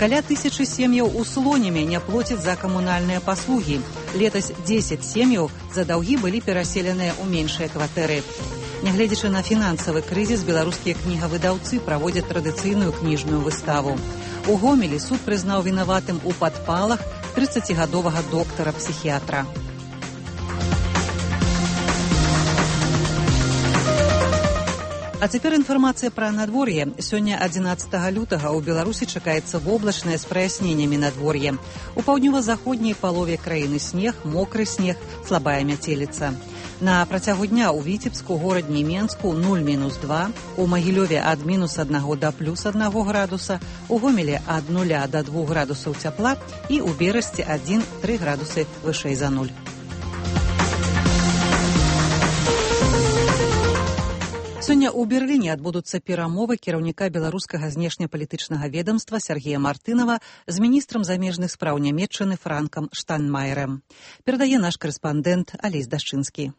Каля тысячы сем'яў у Слонеме не плоцяць за камунальныя паслугі. Летась дзесяць сем'яў за даўгі былі пераселеныя ў меншыя кватэры. Нягледзячы на фінансавы крызіс, беларускія кнігавыдаўцы праводзяць традыцыйную кніжную выставу. У Гомелі суд прызнаў вінаватым у падпалах трыццацігадовага доктара-псіхіятра. А цяпер інфармацыя пра надвор'е. Сёння адзінаццатага лютага ў Беларусі чакаецца воблачнае з праясненнямі надвор'е. У паўднёва-заходняй палове краіны снег, мокры снег, слабая мяцеліца. На працягу дня ў Віцебску, горадні Менску нуль мінус два, у Магілёве ад мінус аднаго да плюс аднаго градуса, у Гомелі ад нуля да двух градусаў цяпла і ў Берасці адзін-тры градусы вышэй за нуль. Сёння ў Берліне адбудуцца перамовы кіраўніка беларускага знешнепалітычнага ведамства Сергея Мартынова з міністрам замежных спраў Нямецчыны Франкам Штайнмаерам. Перадае наш карэспандэнт Алесь Дашчынскі.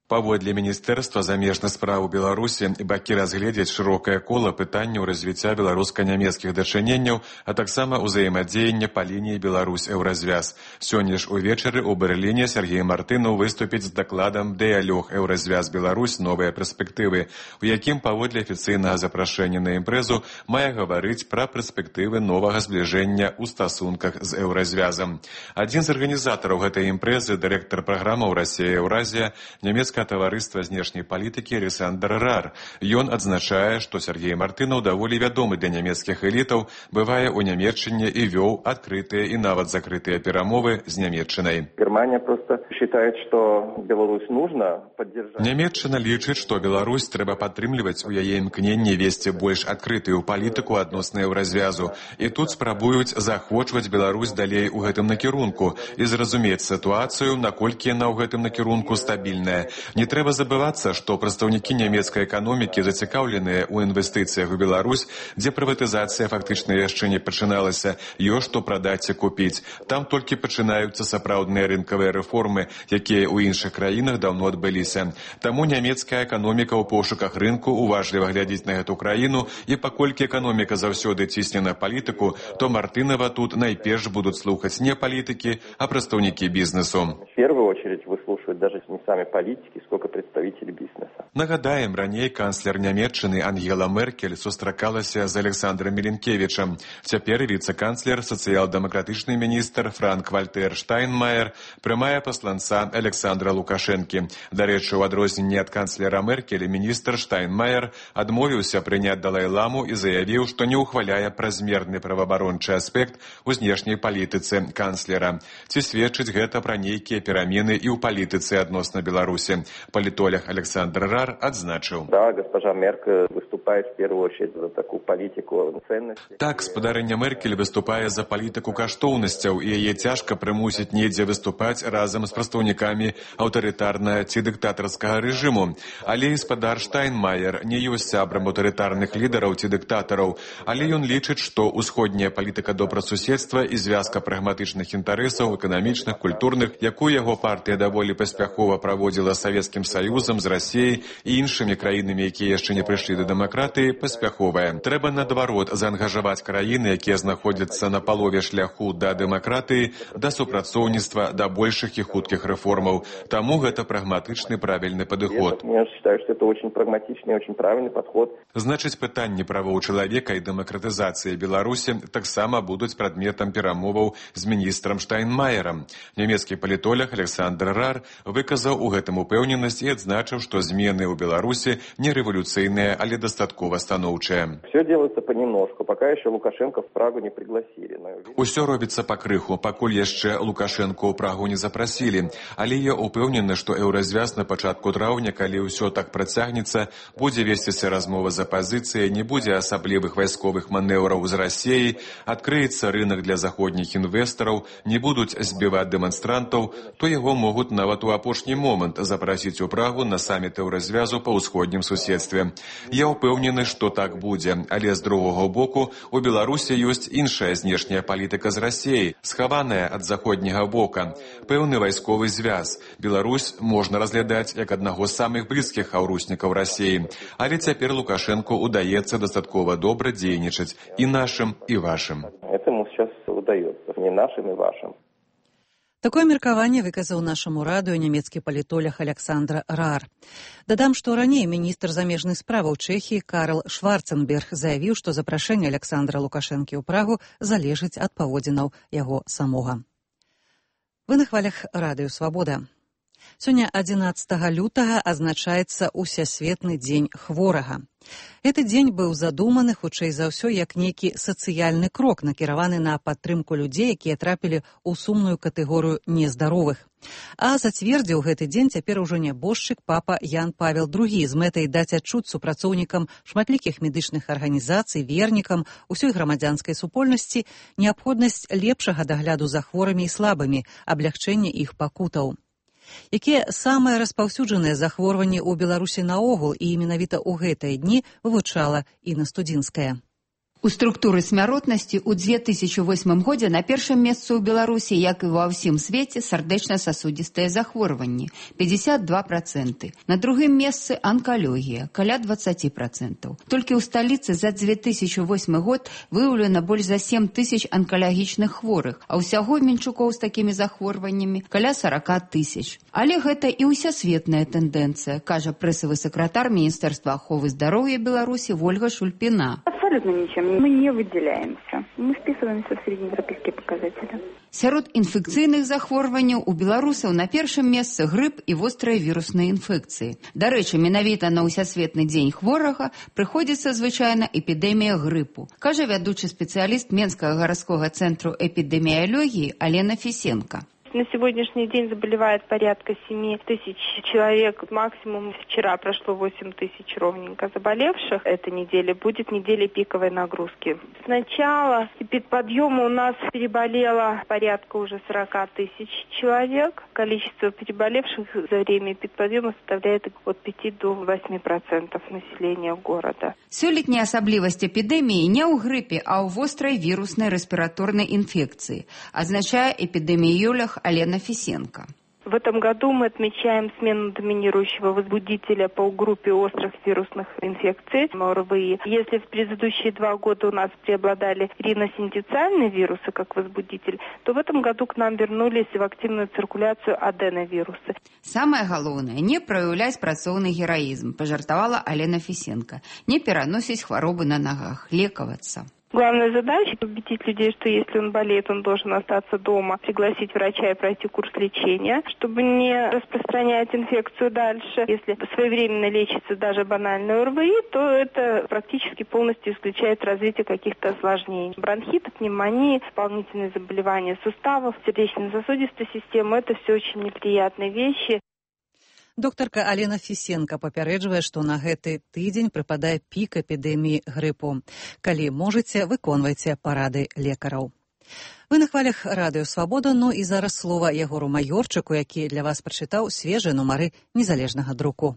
Паводле Міністэрства замежных спраў Беларусі бакі разгледзяць шырокае кола пытанняў развіцця беларуска-нямецкіх дачыненняў, а таксама ўзаемадзеяння па лініі Беларусь-Еўразвяз. Сёння ж увечары ў Берліне Сергей Мартынаў выступіць з дакладам «Дыялог Еўразвяз Беларусь. Новыя перспектывы», у якім паводле афіцыйнага запрашэння на імпрэзу мае гаварыць пра перспектывы новага збліжэння ў стасунках з Еўразвязам. Адзін з арганізатараў гэтай імпрэзы, дырэктар праграмаў «Расія-Еўразія», нямецкая таварыства знешняй палітыкі Александр Рар. Ён адзначае, што Сергей Мартынаў даволі вядомы для нямецкіх элітаў, бывае ў Нямецчыне і вёў адкрытыя і нават закрытыя перамовы з Нямецчынай. Германия просто считает, что Беларусь нужно поддержать. Нямецчына лічыць, што Беларусь трэба падтрымліваць у яе імкненні весці больш адкрытую палітыку адносна Еўразвязу. І тут спрабуюць заахвочваць Беларусь далей у гэтым накірунку і зразумець сітуацыю, наколькі яна ў гэтым накірунку стабільная. Не трэба забывацца, што прадстаўнікі нямецкай эканомікі зацікаўленыя ў інвестыцыях у Беларусь, дзе прыватызацыя фактычна яшчэ не пачыналася, ёсць што прадаць і купіць. Там толькі пачынаюцца сапраўдныя рынкавыя рэформы, якія ў іншых краінах даўно адбыліся. Таму нямецкая эканоміка ў пошуках рынку уважліва глядзіць на гэту краіну, і паколькі эканоміка заўсёды цісне на палітыку, то Мартынова тут найперш будуць слухаць не палітыкі, а прадстаўнікі бізнесу. В первую очередь выслушивают даже не сами политики, сколько представителей бизнеса. Нагадаем, раней канцлер Нямецчыны Ангела Меркель сустракалася з Александром Міленкевічам. Цяпер віцэ-канцлер, сацыял-дэмакратычны міністр Франк-Вальтер Штайнмаер прымае пасланца Александра Лукашэнкі. Дарэчы, у адрозненне ад канцлера Меркель, міністр Штайнмаер адмовіўся прыняць Далай-ламу і заявіў, што не ўхваляе празмерны праваабарончы аспект у знешняй палітыцы канцлера. Ці сведчыць гэта пра нейкія перамены і ў палітыцы адносна Беларусі? Политолог Александр Рар отзначил. Да, госпожа Меркель выступает в первую очередь за такую политику ценностей. Так, спадарыня Меркель выступае за палітыку каштоўнасцяў, і яе цяжка прымусіць недзе выступаць разам з прадстаўнікамі аўтарытарнага ці дыктатарскага рэжыму. Але і спадар Штайнмаер не ёсць сябрам аўтарытарных лідараў ці дыктатараў, але ён лічыць, што ўсходняя палітыка добрасуседства і звязка прагматычных інтарэсаў, эканамічных, культурных, якую яго партыя даволі паспяхова праводзіла Савецкім Саюзам, з Расіяй і іншымі краінамі, якія яшчэ не прыйшлі да дэмакратыі, паспяховая. Трэба, наадварот, заангажаваць краіны, якія знаходзяцца на палове шляху да дэмакратыі, да супрацоўніцтва, да большых і хуткіх рэформаў. Таму гэта прагматычны правільны падыход. Я считаю, что это очень прагматичный, очень правильный подход. Значыць, пытанні правоў чалавека і дэмакратызацыі Беларусі таксама будуць прадметам перамоваў з міністрам Штайнмаерам. Нямецкі палітолог Александр Рар выказаў у гэтым упэўненасць і адзначыў, што змены ў Беларусі не рэвалюцыйныя, але дастаткова станоўчыя. Все делается понемножку, пока еще Лукашенко в Прагу не пригласили. Усё робіцца пакрыху, пакуль яшчэ Лукашенко ў Прагу не запрасілі. Але я упэўнены, што Еўразвяз на пачатку траўня, калі ўсё так працягнецца, будзе весціся размова з апазіцыяй, не будзе асаблівых вайсковых манеўраў з Расіяй, адкрыецца рынак для заходніх інвестараў, не будуць збіваць дэманстрантаў, то яго могуць нават у апошні момант запрасіць у Прагу на саміт Еўразвязу па ўсходнім суседстве. Я ўпэўнены, што так будзе, але з другога боку у Беларусі ёсць іншая знешняя палітыка з Расіяй, схаваная ад заходняга бока. Пэўны вайсковы звяз. Беларусь можна разглядаць як аднаго з самых блізкіх хаўруснікаў Расіі. Але цяпер Лукашэнку удаецца дастаткова добра дзейнічаць і нашым, і вашым. Это ему сейчас удаецца, не нашим и вашим. Такое меркаванне выказаў нашаму радыё нямецкі палітолог Александр Рар. Дадам, што раней міністр замежных справаў Чэхіі Карл Шварценберг заявіў, што запрашэнне Александра Лукашэнкі ў Прагу залежыць ад паводзінаў яго самога. Вы на хвалях радыё «Свабода». Сёння адзінаццатага лютага адзначаецца Усесветны дзень хворага. Гэты дзень быў задуманы, хутчэй за ўсё, як нейкі сацыяльны крок, накіраваны на падтрымку людзей, якія трапілі ў сумную катэгорыю нездаровых. А зацвердзіў гэты дзень цяпер ужо нябожчык папа Ян Павел другі з мэтай даць адчуць супрацоўнікам шматлікіх медычных арганізацый, вернікам, усёй грамадзянскай супольнасці неабходнасць лепшага дагляду за хворымі і слабымі, аблягчэння іх пакутаў. Якія самыя распаўсюджаныя захворванні ў Беларусі наогул, і менавіта ў гэтыя дні вывучала Інна Студзінская. У структуры смяротнасці ў две тысячи восьмым годзе на першым месцы ў Беларусі, як і ва ўсім свеце, сардэчна-сасудзістыя захворванні – пятьдесят два процента. На другім месцы анкалогія – каля двадцать процентов. Толькі ў сталіцы за две тысячи восьмы год выяўлена больш за семь тысяч анкалагічных хворых, а ўсяго менчукоў з такімі захворваннямі каля сорок тысяч. Але гэта і ўсясветная тэндэнцыя, кажа прэсавы сакратар Міністэрства аховы здароўя Беларусі Вольга Шульпіна. Абсолютно ничем. Мы не выделяемся. Мы вписываемся в среднеевропейские показатели. Сярод інфекцыйных захворванняў у беларусаў на першым месцы грып і вострыя вірусныя інфекцыі. Дарэчы, менавіта на ўсясветны дзень хворага прыходзіцца звычайна эпідэмія грыпу, кажа вядучы спецыяліст Менскага гарадскога цэнтру эпідэміялогіі Алена Фісенка. На сегодняшний день заболевает порядка семь тысяч человек. Максимум вчера прошло восемь тысяч ровненько заболевших. Эта неделя будет неделей пиковой нагрузки. Сначала эпидподъема у нас переболело порядка уже сорок тысяч человек. Количество переболевших за время эпидподъема составляет от пяти до восьми процентов населения города. Сёлетняя асаблівасць эпідэміі не ў грыпе, а ў вострай віруснай рэспіраторнай інфекцыі, азначае эпідэміёлог Алена Фисенко. В этом году мы отмечаем смену доминирующего возбудителя по группе острых вирусных инфекций ОРВИ. Если в предыдущие два года у нас преобладали риносинтециальные вирусы как возбудитель, то в этом году к нам вернулись в активную циркуляцию аденовирусы. Самое главное, не проявлять працоўны героизм, пожартовала Алена Фисенко. Не переносить хворобы на ногах, лековаться. Главная задача – убедить людей, что если он болеет, он должен остаться дома, пригласить врача и пройти курс лечения, чтобы не распространять инфекцию дальше. Если своевременно лечится даже банальный ОРВИ, то это практически полностью исключает развитие каких-то осложнений. Бронхит, пневмонии, дополнительные заболевания суставов, сердечно-сосудистой системы – это все очень неприятные вещи. Доктарка Алена Фісенка папярэджвае, што на гэты тыдзень прыпадае пік эпідэміі грыпу. Калі можаце, выконвайце парады лекараў. Вы на хвалях радыё Свабода, ну і зараз слова Ягору Маёрчыку, які для вас прачытаў свежыя нумары незалежнага друку.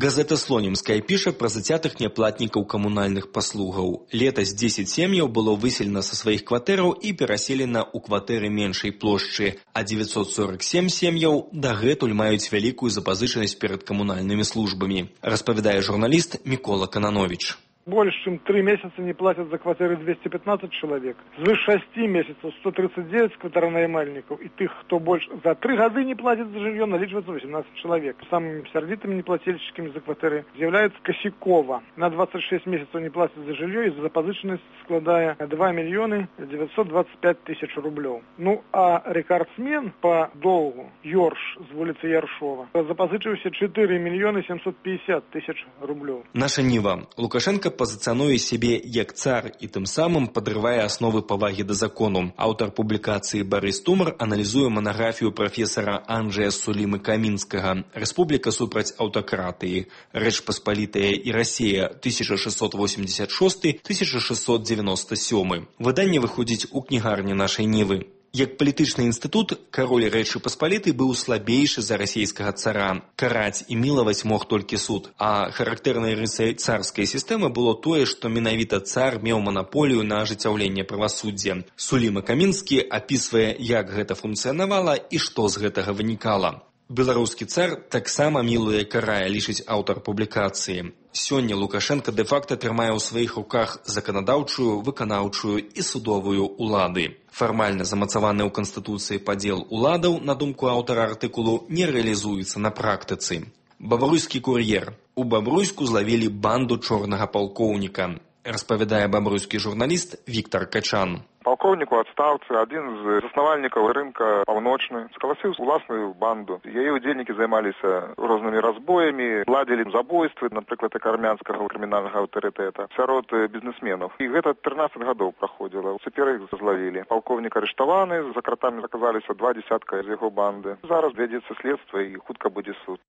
Газета «Слонимская» піша пра зацятых няплатнікаў камунальных паслугаў. Летась дзесяць сем'яў было выселена са сваіх кватэраў і пераселена ў кватэры меншай плошчы, а девятьсот сорок семь сем'яў дагэтуль маюць вялікую запазычанасць перад камунальнымі службамі, распавядае журналіст Мікола Кананович. Больше, чем три месяца не платят за квартиры двести пятнадцать человек. Свыше шести месяцев сто тридцать девять квартиронаймальников. И тех, кто больше за три года не платит за жилье, наличивается восемнадцать человек. Самыми сердитыми неплательщиками за квартиры является Косякова. На двадцать шесть месяцев не платит за жилье, и запозыченность складая два миллиона девятьсот двадцать пять тысяч рублей. Ну, а рекордсмен по долгу Йорш с улицы Яршова запозычивался четыре миллиона семьсот пятьдесят тысяч рублей. Наша Ніва. Лукашенко пазіцыянуе сябе як цар і тым самым падрывае асновы павагі да закону. Аўтар публікацыі Барыс Тумар аналізуе манаграфію прафесара Анджэя Сулімы Камінскага «Рэспубліка супраць аўтакратыі. Рэч Паспалітая і Расія тысяча шестьсот восемьдесят шестой — тысяча шестьсот девяносто седьмой». Выданне выходзіць у кнігарні нашай Нівы. Як палітычны інстытут, кароль Рэчы Паспалітай быў слабейшы за расійскага цара. Караць і мілаваць мог толькі суд. А характэрнай рысай царскай сістэмы было тое, што менавіта цар меў манаполію на ажыццяўленне правасуддзя. Суліма Камінскі апісвае, як гэта функцыянавала і што з гэтага вынікала. Беларускі цар таксама мілуе карае, лічыць аўтар публікацыі. Сёння Лукашенко дэ-факта трымае ў сваіх руках заканадаўчую, выканаўчую і судовую улады. Фармальна замацаваны ў Канстытуцыі падзел уладаў, на думку аўтара артыкулу, не рэалізуецца на практыцы. Бабруйскі кур'ер. У Бабруйску злавілі банду чорнага палкоўніка, распавядае бабруйскі журналіст Віктор Качан. Полковник у отставцы, один из основальников рынка Паўночны, сколосил уласную банду. Яе удзельнікі займаліся рознымі разбоями, ладзілі забойствы, напрыклад, армянскага крымінальнага аўтарытэта сярод бізнесменаў. І гэта тринадцать гадоў праходзіла. Цяпер іх злавілі. Полковник арыштаваны, за кратамі аказаліся два десятка з яго банды. Зараз вядзецца следства і хутка будзе суд.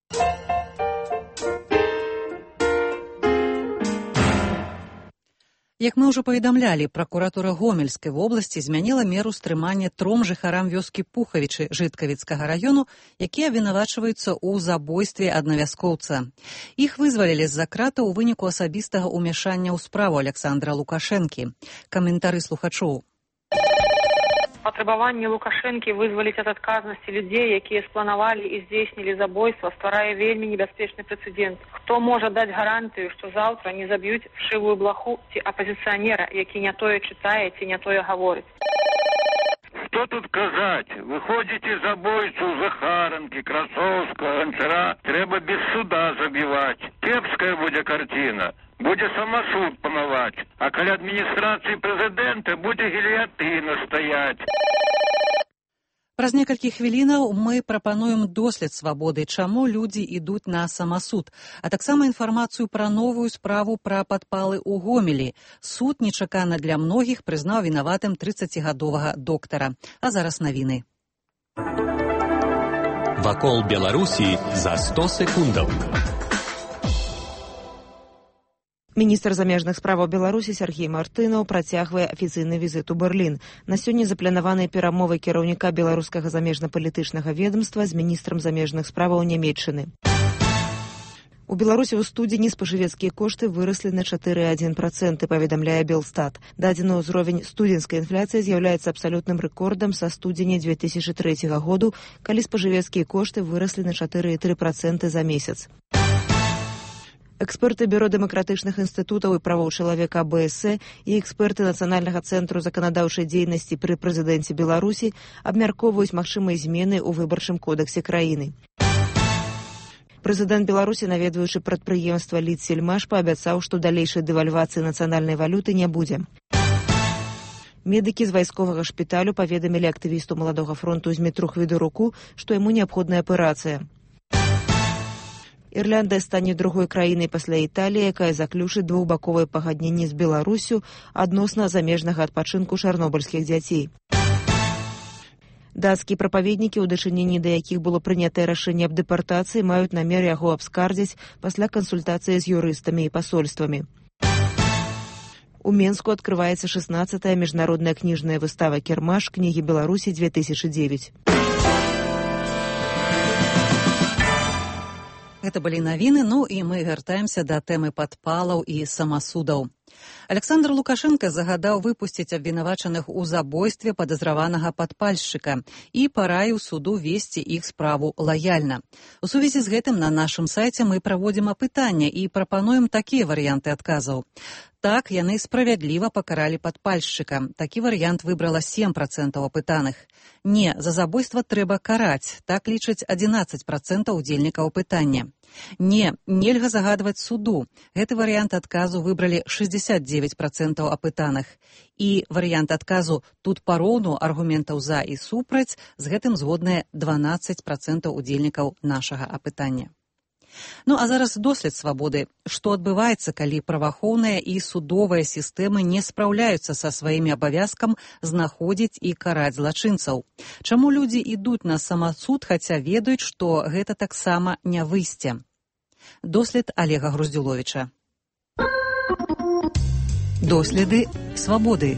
Як мы ўжо паведамлялі, пракуратура Гомельскай вобласці змяніла меру стрымання тром жыхарам вёскі Пухавічы Жыткавіцкага раёну, якія абвінавачваюцца ў забойстве аднавяскоўца. Іх вызвалілі з-за крата ў выніку асабістага ўмяшання ў справу Александра Лукашэнкі. Каментары слухачоў. Патрабаванне Лукашэнкі вызваліць ад адказнасці людзей, якія спланавалі і здзейснілі забойства, стварае вельмі небяспечны прэцэдэнт. Хто можа даць гарантыю, што заўтра не заб'юць вшывую блаху ці апазіцыянера, які не тое чытае ці не тое гаворыць. Что тут казаць? Выходзіце забойцу Захаранкі, Красоўскага, Ганчара, трэба без суда забіваць. Кепская будзе карціна. Будзе самасуд панаваць, а каля адміністрацыі прэзідэнта будзе гільятына стаяць. Праз некалькі хвілінаў мы прапануем дослед свабоды, чаму людзі ідуць на самасуд, а таксама інфармацыю пра новую справу пра падпалы ў Гомелі. Суд нечакана для многіх прызнаў вінаватым трыццацігадовага доктара. А зараз навіны. Вакол Беларусі за сто секундаў. Міністр замежных справаў Беларусі Сергей Мартынаў працягвае афіцыйны візіт у Берлін. На сёння запланаваныя перамовы кіраўніка беларускага замежна-палітычнага ведомства з міністрам замежных справаў Нямецчыны. У Беларусі ў студзені спажывецкія кошты выраслі на чатыры цалых адзін працэнт, паведамляе Белстат. Дадзены ўзровень студзенскай інфляцыі з'яўляецца абсалютным рэкордам са студзеня дзве тысячы трэцяга году, калі спажывецкія кошты выраслі на чатыры цалых тры працэнта за месяц. Эксперты Бюро дэмакратычных інстытутаў і правоў чалавека АБС і эксперты Нацыянальнага цэнтру заканадаўчай дзейнасці пры прэзідэнце Беларусі абмяркоўваюць магчымыя змены ў выбарчым кодэксе краіны. Прэзідэнт Беларусі, наведваючы прадпрыемства Лідсельмаш, паабяцаў, што далейшай дэвальвацыі нацыянальнай валюты не будзе. Медыкі з вайсковага шпіталю паведамілі актывісту Маладога фронту Змітру Хвідоруку, што яму неабходная аперацыя. Ірландыя стане другой краінай пасля Італіі, якая заключыць двухбаковыя пагадненні з Беларусю адносна замежнага адпачынку чарнобыльскіх дзяцей. Дацкія прапаведнікі, у дачыненні да якіх было прынятае рашэнне аб дэпартацыі, маюць намер яго абскардзіць пасля кансультацыі з юрыстамі і пасольствамі. У Менску адкрываецца шаснаццатая міжнародная кніжная выстава «Кірмаш. Кнігі Беларусі две тысячы дзевяць». Гэта былі навіны, ну і мы вяртаемся да тэмы падпалаў і самасудаў. Александр Лукашенко загадаў выпусціць абвінавачаных у забойстве падазраванага падпальшчыка і параіў суду весці іх справу лаяльна. У сувязі з гэтым на нашым сайце мы праводзім апытанне і прапануем такія варыянты адказаў. Так, яны справядліва пакаралі падпальшчыка. Такі варыянт выбрала сем працэнтаў апытаных. Не, за забойства трэба караць. Так лічаць адзінаццаць працэнтаў удзельнікаў апытання. Не, нельга загадваць суду. Гэты варыянт адказу выбралі шэсцьдзесят дзевяць працэнтаў апытаных. І варыянт адказу «тут пароўну аргументаў за і супраць» з гэтым згодныя дванаццаць працэнтаў удзельнікаў нашага апытання. Ну, а зараз дослед свабоды. Што адбываецца, калі праваахоўная і судовая сістэмы не спраўляюцца са сваімі абавязкам знаходзіць і караць злачынцаў? Чаму людзі ідуць на самасуд, хаця ведаюць, што гэта таксама не выйсце? Дослед Олега Груздзюловіча. Доследы свабоды.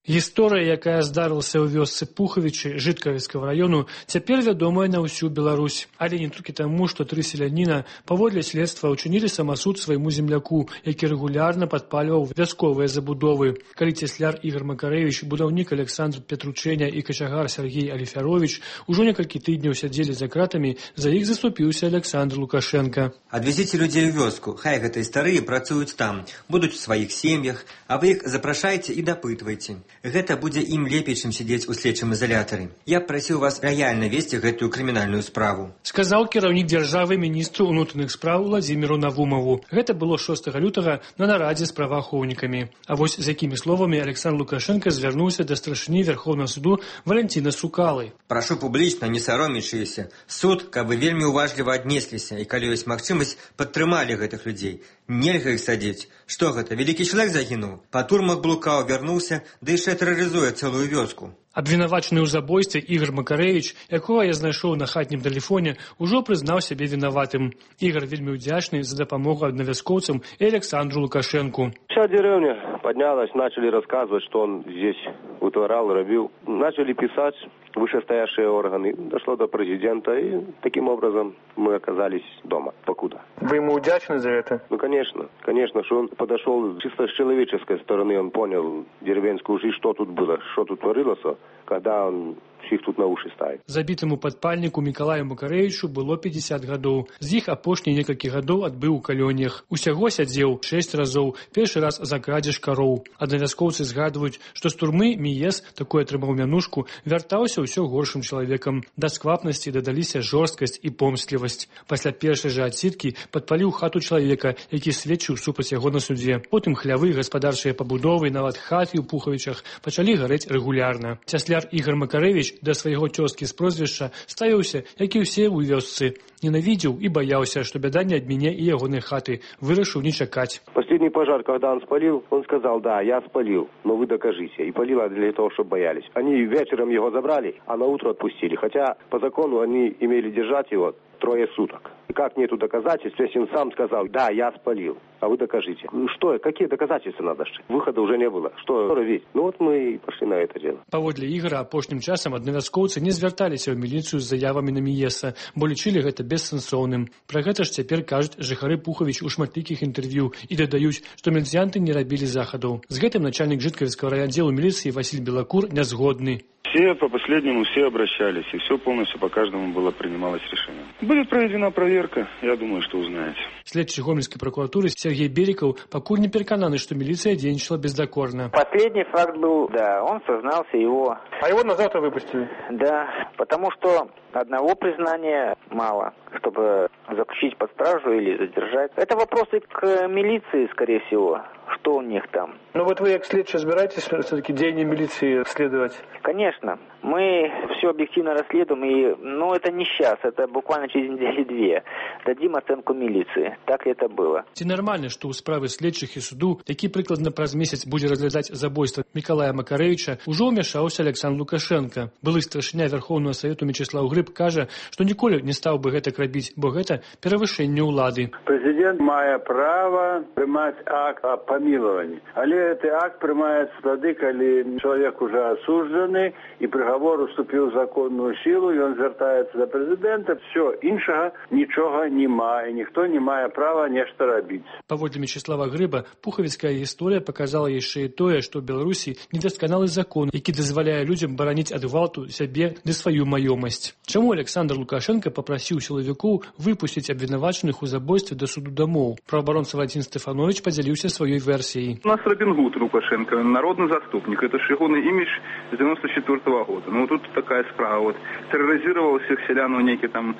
Гісторыя, якая здарылася ў вёсцы Пухавічы Жыткавіцкага раёну, цяпер вядомая на ўсю Беларусь. Але не толькі таму, што тры селяніна паводле следства ўчынілі самасуд свайму земляку, які рэгулярна падпальваў вясковыя забудовы. Калі цесляр Ігор Макарэвіч, будаўнік Александр Петручэня і качагар Сергей Аліфяровіч ужо некалькі тыдняў сядзелі за кратамі, за іх заступіўся Александр Лукашенко. Адвезіце людзей у вёску, хай гэтыя старыя працуюць там, будуць у сваіх сем'ях, а вы іх запрашайце і дапытвайце. Гэта будзе ім лепей, чым сидзець у следчым изолятары. Я прасіў вас рэальна весці гэтую крымінальную справу. Сказаў кіраўнік дзяржавы міністру ўнутраных спраў Владзіміру Навумову. Гэта было шостага лютага на нарадзе з праваахоўнікамі. А вось з якімі словамі Александр Лукашенко звярнуўся да старшыні Верховнага суду Валянціна Сукалы. Прашу публічна, не саромячыся. Суд, каб вы вельмі уважліва аднесліся і калі ёсць магчымасць, падтрымалі гэтых людзей. Нельга іх садзіць. Што гэта, вялікі чалавек загінуў? Па турмах блукаў, вярнуўся, ды яшчэ тэрарызуе цэлую вёску. Абвінавачаны ў забойстве Ігор Макарэвіч, якога я знайшоў на хатнім тэлефоне, ужо прызнаў сябе вінаватым. Ігор вельмі ўдзячны за дапамогу аднавязкоўцам і Александру Лукашенку. Вся деревня поднялась, начали рассказывать, что он здесь вытворял, робил. Начали писать вышестоящие органы. Дошло до президента, и таким образом мы оказались дома. Покуда. Вы ему удячны за это? Ну, конечно. Конечно, что он подошел чисто с человеческой стороны, он понял деревенскую жизнь, что тут было, что тут творилось, когда он всіх тут на уші ставить. Забітаму падпальніку Мікалаю Макарэвічу было пятьдесят гадоў. З іх апошнія некалькі гадоў адбыў у калоніях. Усяго сядзеў шэсць разоў, першы раз за крадзеж кароў. Аднавязкоўцы згадваюць, што з турмы Міес, такой атрымаў мянушку, вяртаўся ўсё горшым чалавекам. Да сквапнасці дадаліся жорсткасць і помстлівасць. Пасля першай жа адсідкі падпаліў хату чалавека, які сведчыў супраць яго на судзе. Потым хлявы, гаспадарчыя пабудовы, нават хаты ў Пухавічах пачалі гарэць рэгулярна. Цясляр Ігор Макарэвіч да свайго цёзкі з прозвішча ставіўся, як і ўсе ў вёсцы. Ненавидел и боялся, что беда не от меня и ягоной хаты. Вырашил не чекать. Последний пожар, когда он спалил, он сказал: да, я спалил, но вы докажите. И палило для того, чтобы боялись. Они вечером его забрали, а на утро отпустили. Хотя по закону они имели держать его трое суток. И как нету доказательств, если он сам сказал: да, я спалил, а вы докажите. Что, какие доказательства надо? Выхода уже не было. Что робить? Ну вот мы и пошли на это дело. Паводле Ігора апошнім часам аднавязкоўцы не звярталіся ў міліцыю з заявамі на Міеса, бо лічылі гэта бессэнсоўным. Пра гэта ж цяпер кажуць жыхары Пухавіч у шматлікіх інтэрв'ю і дадаюць, што міліцыянты не рабілі захадаў. З гэтым начальнік Жыткавіцкага райаддзелу міліцыі Васіль Белакур не згодны. Все по последнему все обращались, и все полностью по каждому было принималось решение. Будет проведена проверка, я думаю, что узнаете. Следчий Гомельской прокуратуры Сергей Бериков покуль не переконаны, что милиция денежила бездокорно. Последний факт был, да, он сознался, его... А его на завтра выпустили? Да, потому что одного признания мало, чтобы заключить под стражу или задержать. Это вопросы к милиции, скорее всего. Что у них там? Ну вот вы, как следчий, собираетесь все-таки деяния милиции следовать? Конечно. Мы все объективно расследуем, и, ну, это не сейчас, это буквально через недели-две. Дадим оценку милиции. Так ли это было? Ці нормально, что у справы следчых и суду, які прыкладна праз месяц будзе разглядаць забойства Мікалая Макарэвіча, ужо ўмяшаўся Александр Лукашенко. Былы старшыня Верховного Совету Мячеслав Грыб кажа, што ніколі не стаў бы гэтак рабіць, бо гэта перавышэнне ўлады. Президент мае права прымаць акт о помиловании. Але гэты акт прымаецца тады, калі чалавек уже осужданы і приговор уступіў законную силу, і он звяртаецца до президента. Все, іншага нічога не мае, ніхто не мае права нешта рабіць. Паводле Мячеслава Грыба, пухавіцкая гісторыя показала яшчэ і тое, што ў Беларусі недасканалы закон, які дазваляе людзям бараніць ад гвалту сябе ды сваю маёмасць. Чаму Александр Лукашенко папрасіў сілавікоў выпусціць абвінавачаных у забойстве да суду дамоў? Праваабаронца Вадзім Стэфанович падзяліўся сваёй версіяй. У нас Робин Гуд Лукашенко, народный заступник. Это ж ягоный имидж с девяносто четвёртого года. Ну вот тут такая справа. Вот терроризировал всех селян, у некий там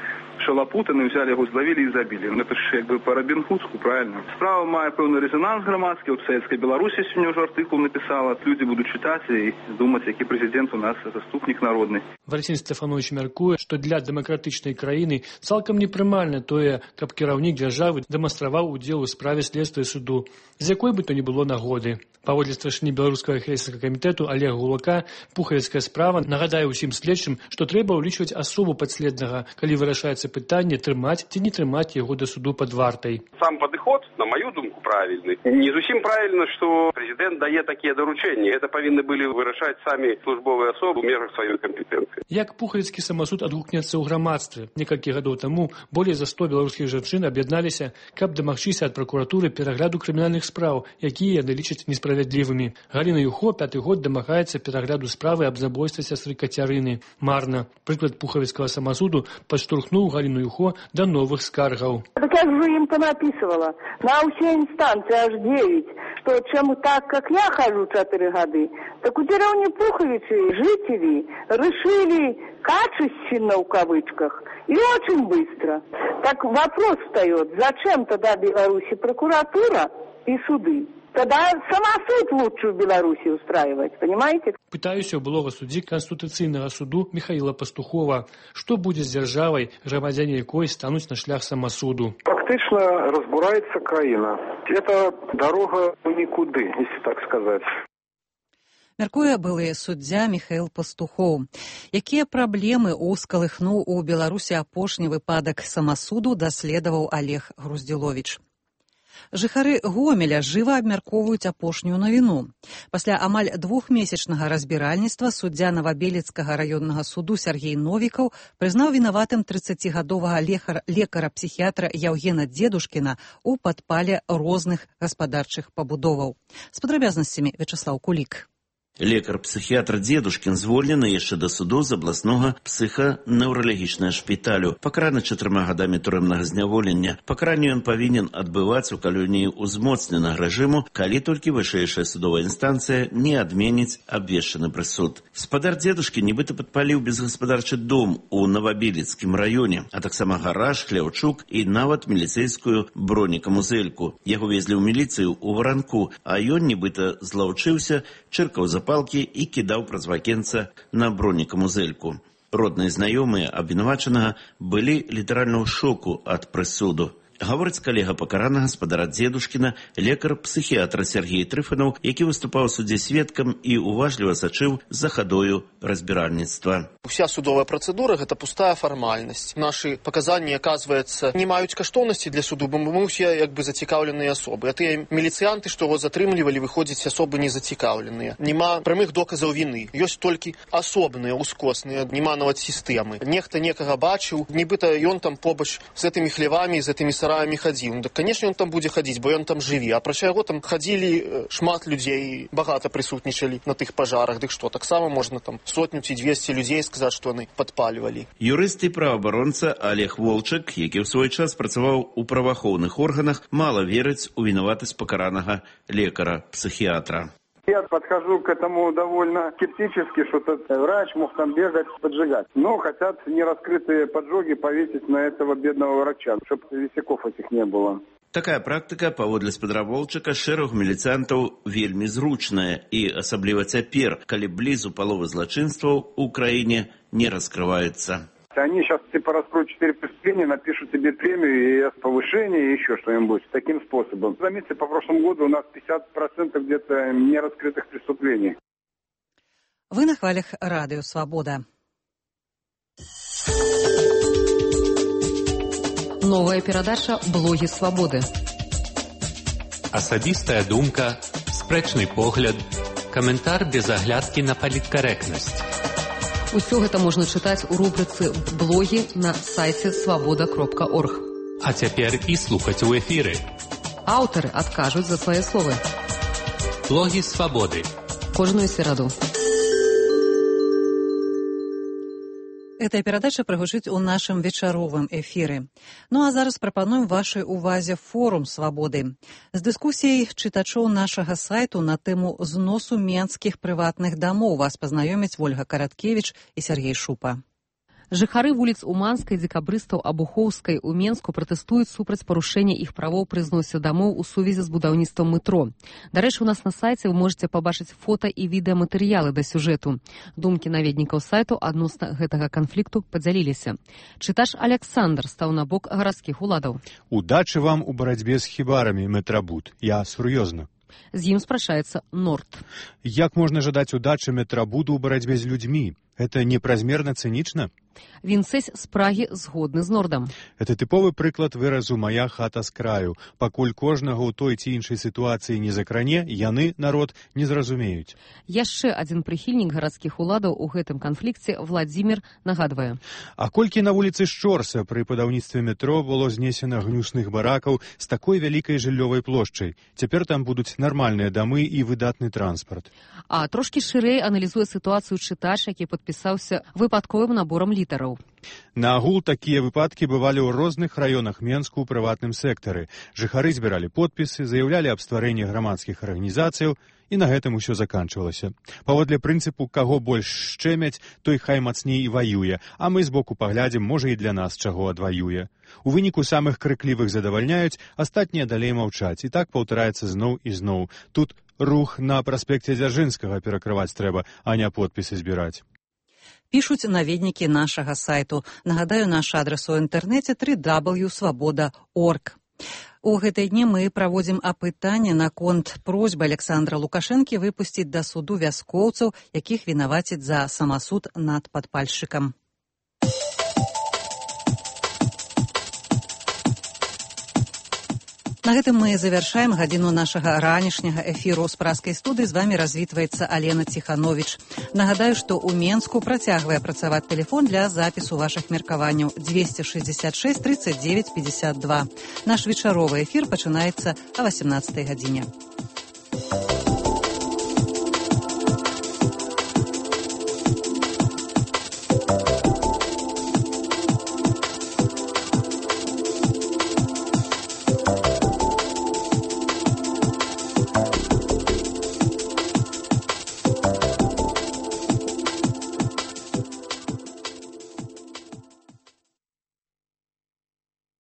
шалопутаны, взяли его, зловили и забили. Ну это ж как бы по Робин Гудску, правильно? Справа має певний резонанс громадський. От Советська Білорусі сьогодні вже артикул написала. Люди будуть читати і думати, який президент у нас заступник народний. Валентин Стефанович мяркуе, што для дэмакратычнай краіны цалкам непрымальна тое, каб кіраўнік дзяржавы дэманстраваў удзел у справе следства і суду, з якой бы то ни было нагоды. Паводле старшыні беларускага хрэсцкага камітэту Олега Гулака, пухавіцкая справа нагадае ўсім следчым, што трэба ўлічваць асобу падследнага, калі вырашаецца пытанне трымаць ці не трымаць яго да суду пад вартай. Сам падыход, на мою думку, правильный. Не зусім правильно, што прэзідэнт дае такія даручэнні. Гэта павінны былі вырашаць самі службовыя асобы ў межах сваёй кампетэнцыі. Як пухавіцкі самасуд адгукнецца ў грамадстве? Некалькі гадоў таму болей за сто беларускіх жанчын аб'ядналіся, каб дамагчыся ад пракуратуры перагляду крымінальных спраў, якія яны лічаць несправядлівымі. Галіна Юхо пяты год дамагаецца перагляду справы аб забойстве сястры Кацярыны. Марна. Прыклад пухавіцкага самасуду падштурхнуў Галіну Юхо да новых скаргаў. Так я же им понаписывала на все инстанции аж девять, что чем так, как я хожу четыре года, так у деревни Пуховичи жители решили качественно в кавычках и очень быстро. Так вопрос встает, зачем тогда в Беларуси прокуратура и суды? Тогда самосуд лучше в Беларуси устраивать, понимаете? Пытаюся ў былога суддзі Канстытуцыйнага суду Михаила Пастухова. Што будзе з дзяржавай, грамадзяне якой стануць на шлях самасуду? Фактично разбурается краина. Это дорога в никуды, если так сказать. Мяркуе былы суддзя Міхаіл Пастухоў. Якія праблемы ускалыхнуў у Беларусі апошні выпадак самасуду, даследаваў Олег Груздзіловіч. Жыхары Гомеля жыва абмяркоўваюць апошнюю навіну. Пасля амаль двухмесячнага разбіральніцтва суддзя Новабелецкага раённага суду Сергей Новікаў прызнаў вінаватым трыццацігадовага лекара-псіхіятра Яўгена Дзедушкіна ў падпале розных гаспадарчых пабудоваў. З падрабязнасцямі Вячаслаў Кулік. Лекар-псіхіятр Дзедушкін звольнены яшчэ да суду з абласнога псіханеўралагічнага шпіталю. Пакараны чатырма гадамі турэмнага зняволення. Пакаранне ён павінен адбываць у калоніі ўзмоцненага рэжыму, калі толькі вышэйшая судовая інстанцыя не адменіць абвешчаны прысуд. Спадар Дзедушкі нібыта падпаліў безгаспадарчы дом у Новабелецкім раёне, а таксама гараж, хляўчук і нават міліцэйскую бронекамузельку. Яго везлі ў міліцыю ў Варанку, а ён нібыта злаўчыўся, чыркаў за палкі і кідаў праз вакенца на бронекамузельку. Родныя знаёмыя абвінавачанага былі літаральна ў шоку ад прысуду. Гаворыць калега пакаранага спадара Дзедушкіна, лекар-псіхіатр Сергей Трыфанаў, які выступаў у судзе сведкам і уважліва сачыў за хадою разбіральніцтва. Уся судовая працэдура – гэта пустая фармальнасць. Нашы паказанні, аказваецца, не маюць каштоўнасці для суду, бо мы ўсе як бы зацікаўленыя асобы. А тыя міліцыянты, што его затрымлівалі, выходзяць асобы незацікаўленыя. Нема прамых доказаў віны. Ёсць толькі асобныя, ускосныя, нема нават сістэмы. Нехта некага бачыў, нібыта ён там побач з гэтымі хлевамі, з гэтымі сараямі хадзіў. Ну, так, канешне, ён там будзе хадзіць, бо ён там жыве. А прача яго там хадзілі шмат людзей, багата прысутнічалі на тых пажарах. Дык што, таксама можна там сотню ці дзвесце людзей сказаць, што яны падпальвалі. Юрыст і праваабаронца Олег Волчак, які ў свой час працаваў у праваахоўных органах, мала верыць у вінаватасць пакаранага лекара-псіхіатра. Я подхожу к этому довольно скептически, что этот врач мог там бегать, поджигать. Но хотят нераскрытые поджоги повесить на этого бедного врача, чтобы висяков этих не было. Такая практыка, паводле спадара Волчака, шэрагу міліцыянтаў вельмі зручная і асабліва цяпер, калі блізу паловы злачынстваў у краіне не раскрываецца. Они сейчас типа раскроют четыре преступления, напишут тебе премию и повышение, и еще что-нибудь таким способом. Заметьте, по прошлому году у нас пятьдесят процентов где-то нераскрытых преступлений. Вы на хвалях Радио Свобода. Новая перадача «Блогі свабоды». Асабістая думка, спрэчны погляд, каментар без аглядкі на паліткарэктнасць. Усё гэта можна чытаць у рубрыцы «Блогі» на сайце свабода кропка орг. А цяпер і слухаць у эфіры. Аўтары адкажуць за свае словы. Блогі свабоды. Кожную сераду. Эта перадача прагучыць у нашым вечаровым эфіры. Ну а зараз прапануем вашай увазе форум свабоды. З дыскусіяй чытачоў нашага сайту на тэму зносу менскіх прыватных дамоў вас пазнаёмяць Вольга Караткевіч і Сергей Шупа. Жыхары вуліц Уманскай, Дзекабрыстаў, Абухоўскай у Менску пратэстуюць супраць парушэння іх правоў пры зносе дамоў у сувязі з будаўніцтвам метро. Дарэчы, у нас на сайце вы можете пабачыць фота і відэаматэрыялы да сюжэту. Думкі наведнікаў сайту адносна гэтага канфлікту падзяліліся. Чытач Александр стаў на бок гарадскіх уладаў. Удачы вам у барацьбе з хібарамі, метрабуд. Я сур'ёзна. З ім спрачаецца Норд. Як можна жадаць удачы метрабуду ў барацьбе з людзьмі? Это непразмерна цынічна? Вінцэсь з Прагі згодны з Нордам. Это тыповы прыклад выразу «мая хата з краю». Пакуль кожнага ў той ці іншай сітуацыі не закране, яны, народ, не зразумеюць. Яшчэ адзін прыхільнік гарадскіх уладаў у гэтым канфлікце Владзімір нагадвае. А колькі на вуліцы Шчорса пры будаўніцтве метро было знесена гнюсных баракаў з такой вялікай жыллёвай плошчай. Цяпер там будуць нармальныя дамы і выдатны транспарт. А трошкі шырэй аналізуе сітуацыю чытач, які падпісаўся выпадковым наборам літараў. На агул такія выпадкі бывалі ў розных раёнах Менску ў прыватным сектары. Жыхары збіралі подпісы, заяўлялі аб стварэнні грамадскіх арганізацыяў, і на гэтым усё заканчвалася. Паводле прынцыпу «каго больш шчэмяць, той хай мацней і ваюе», а мы збоку паглядзім, можа і для нас чаго адваюе. У выніку самых крыклівых задавальняюць, астатнія далей маўчаць, і так паўтараецца зноў і зноў. Тут рух на праспекце Дзяржынскага перакрываць трэба, а не подпісы збіраць. Пішуць наведнікі нашага сайту. Нагадаю, наш адрас у інтэрнэце дабл ю дабл ю крапка свабода крапка орг. У гэтыя дні мы праводзім апытанне наконт просьбы Александра Лукашэнкі выпусціць да суду вяскоўцаў, якіх вінавацяць за самасуд над падпальшчыкам. На гэтым мы завяршаем гадзіну нашага ранішняга эфіру. З пражскай студыі з вамі развітваецца Алена Ціхановіч. Нагадаю, што ў Менску працягвае працаваць тэлефон для запісу вашых меркаванняў дзвесце шэсцьдзесят шэсць тридцать девять пятьдесят два. Наш вечаровы эфір пачынаецца а васемнаццатай гадзіне.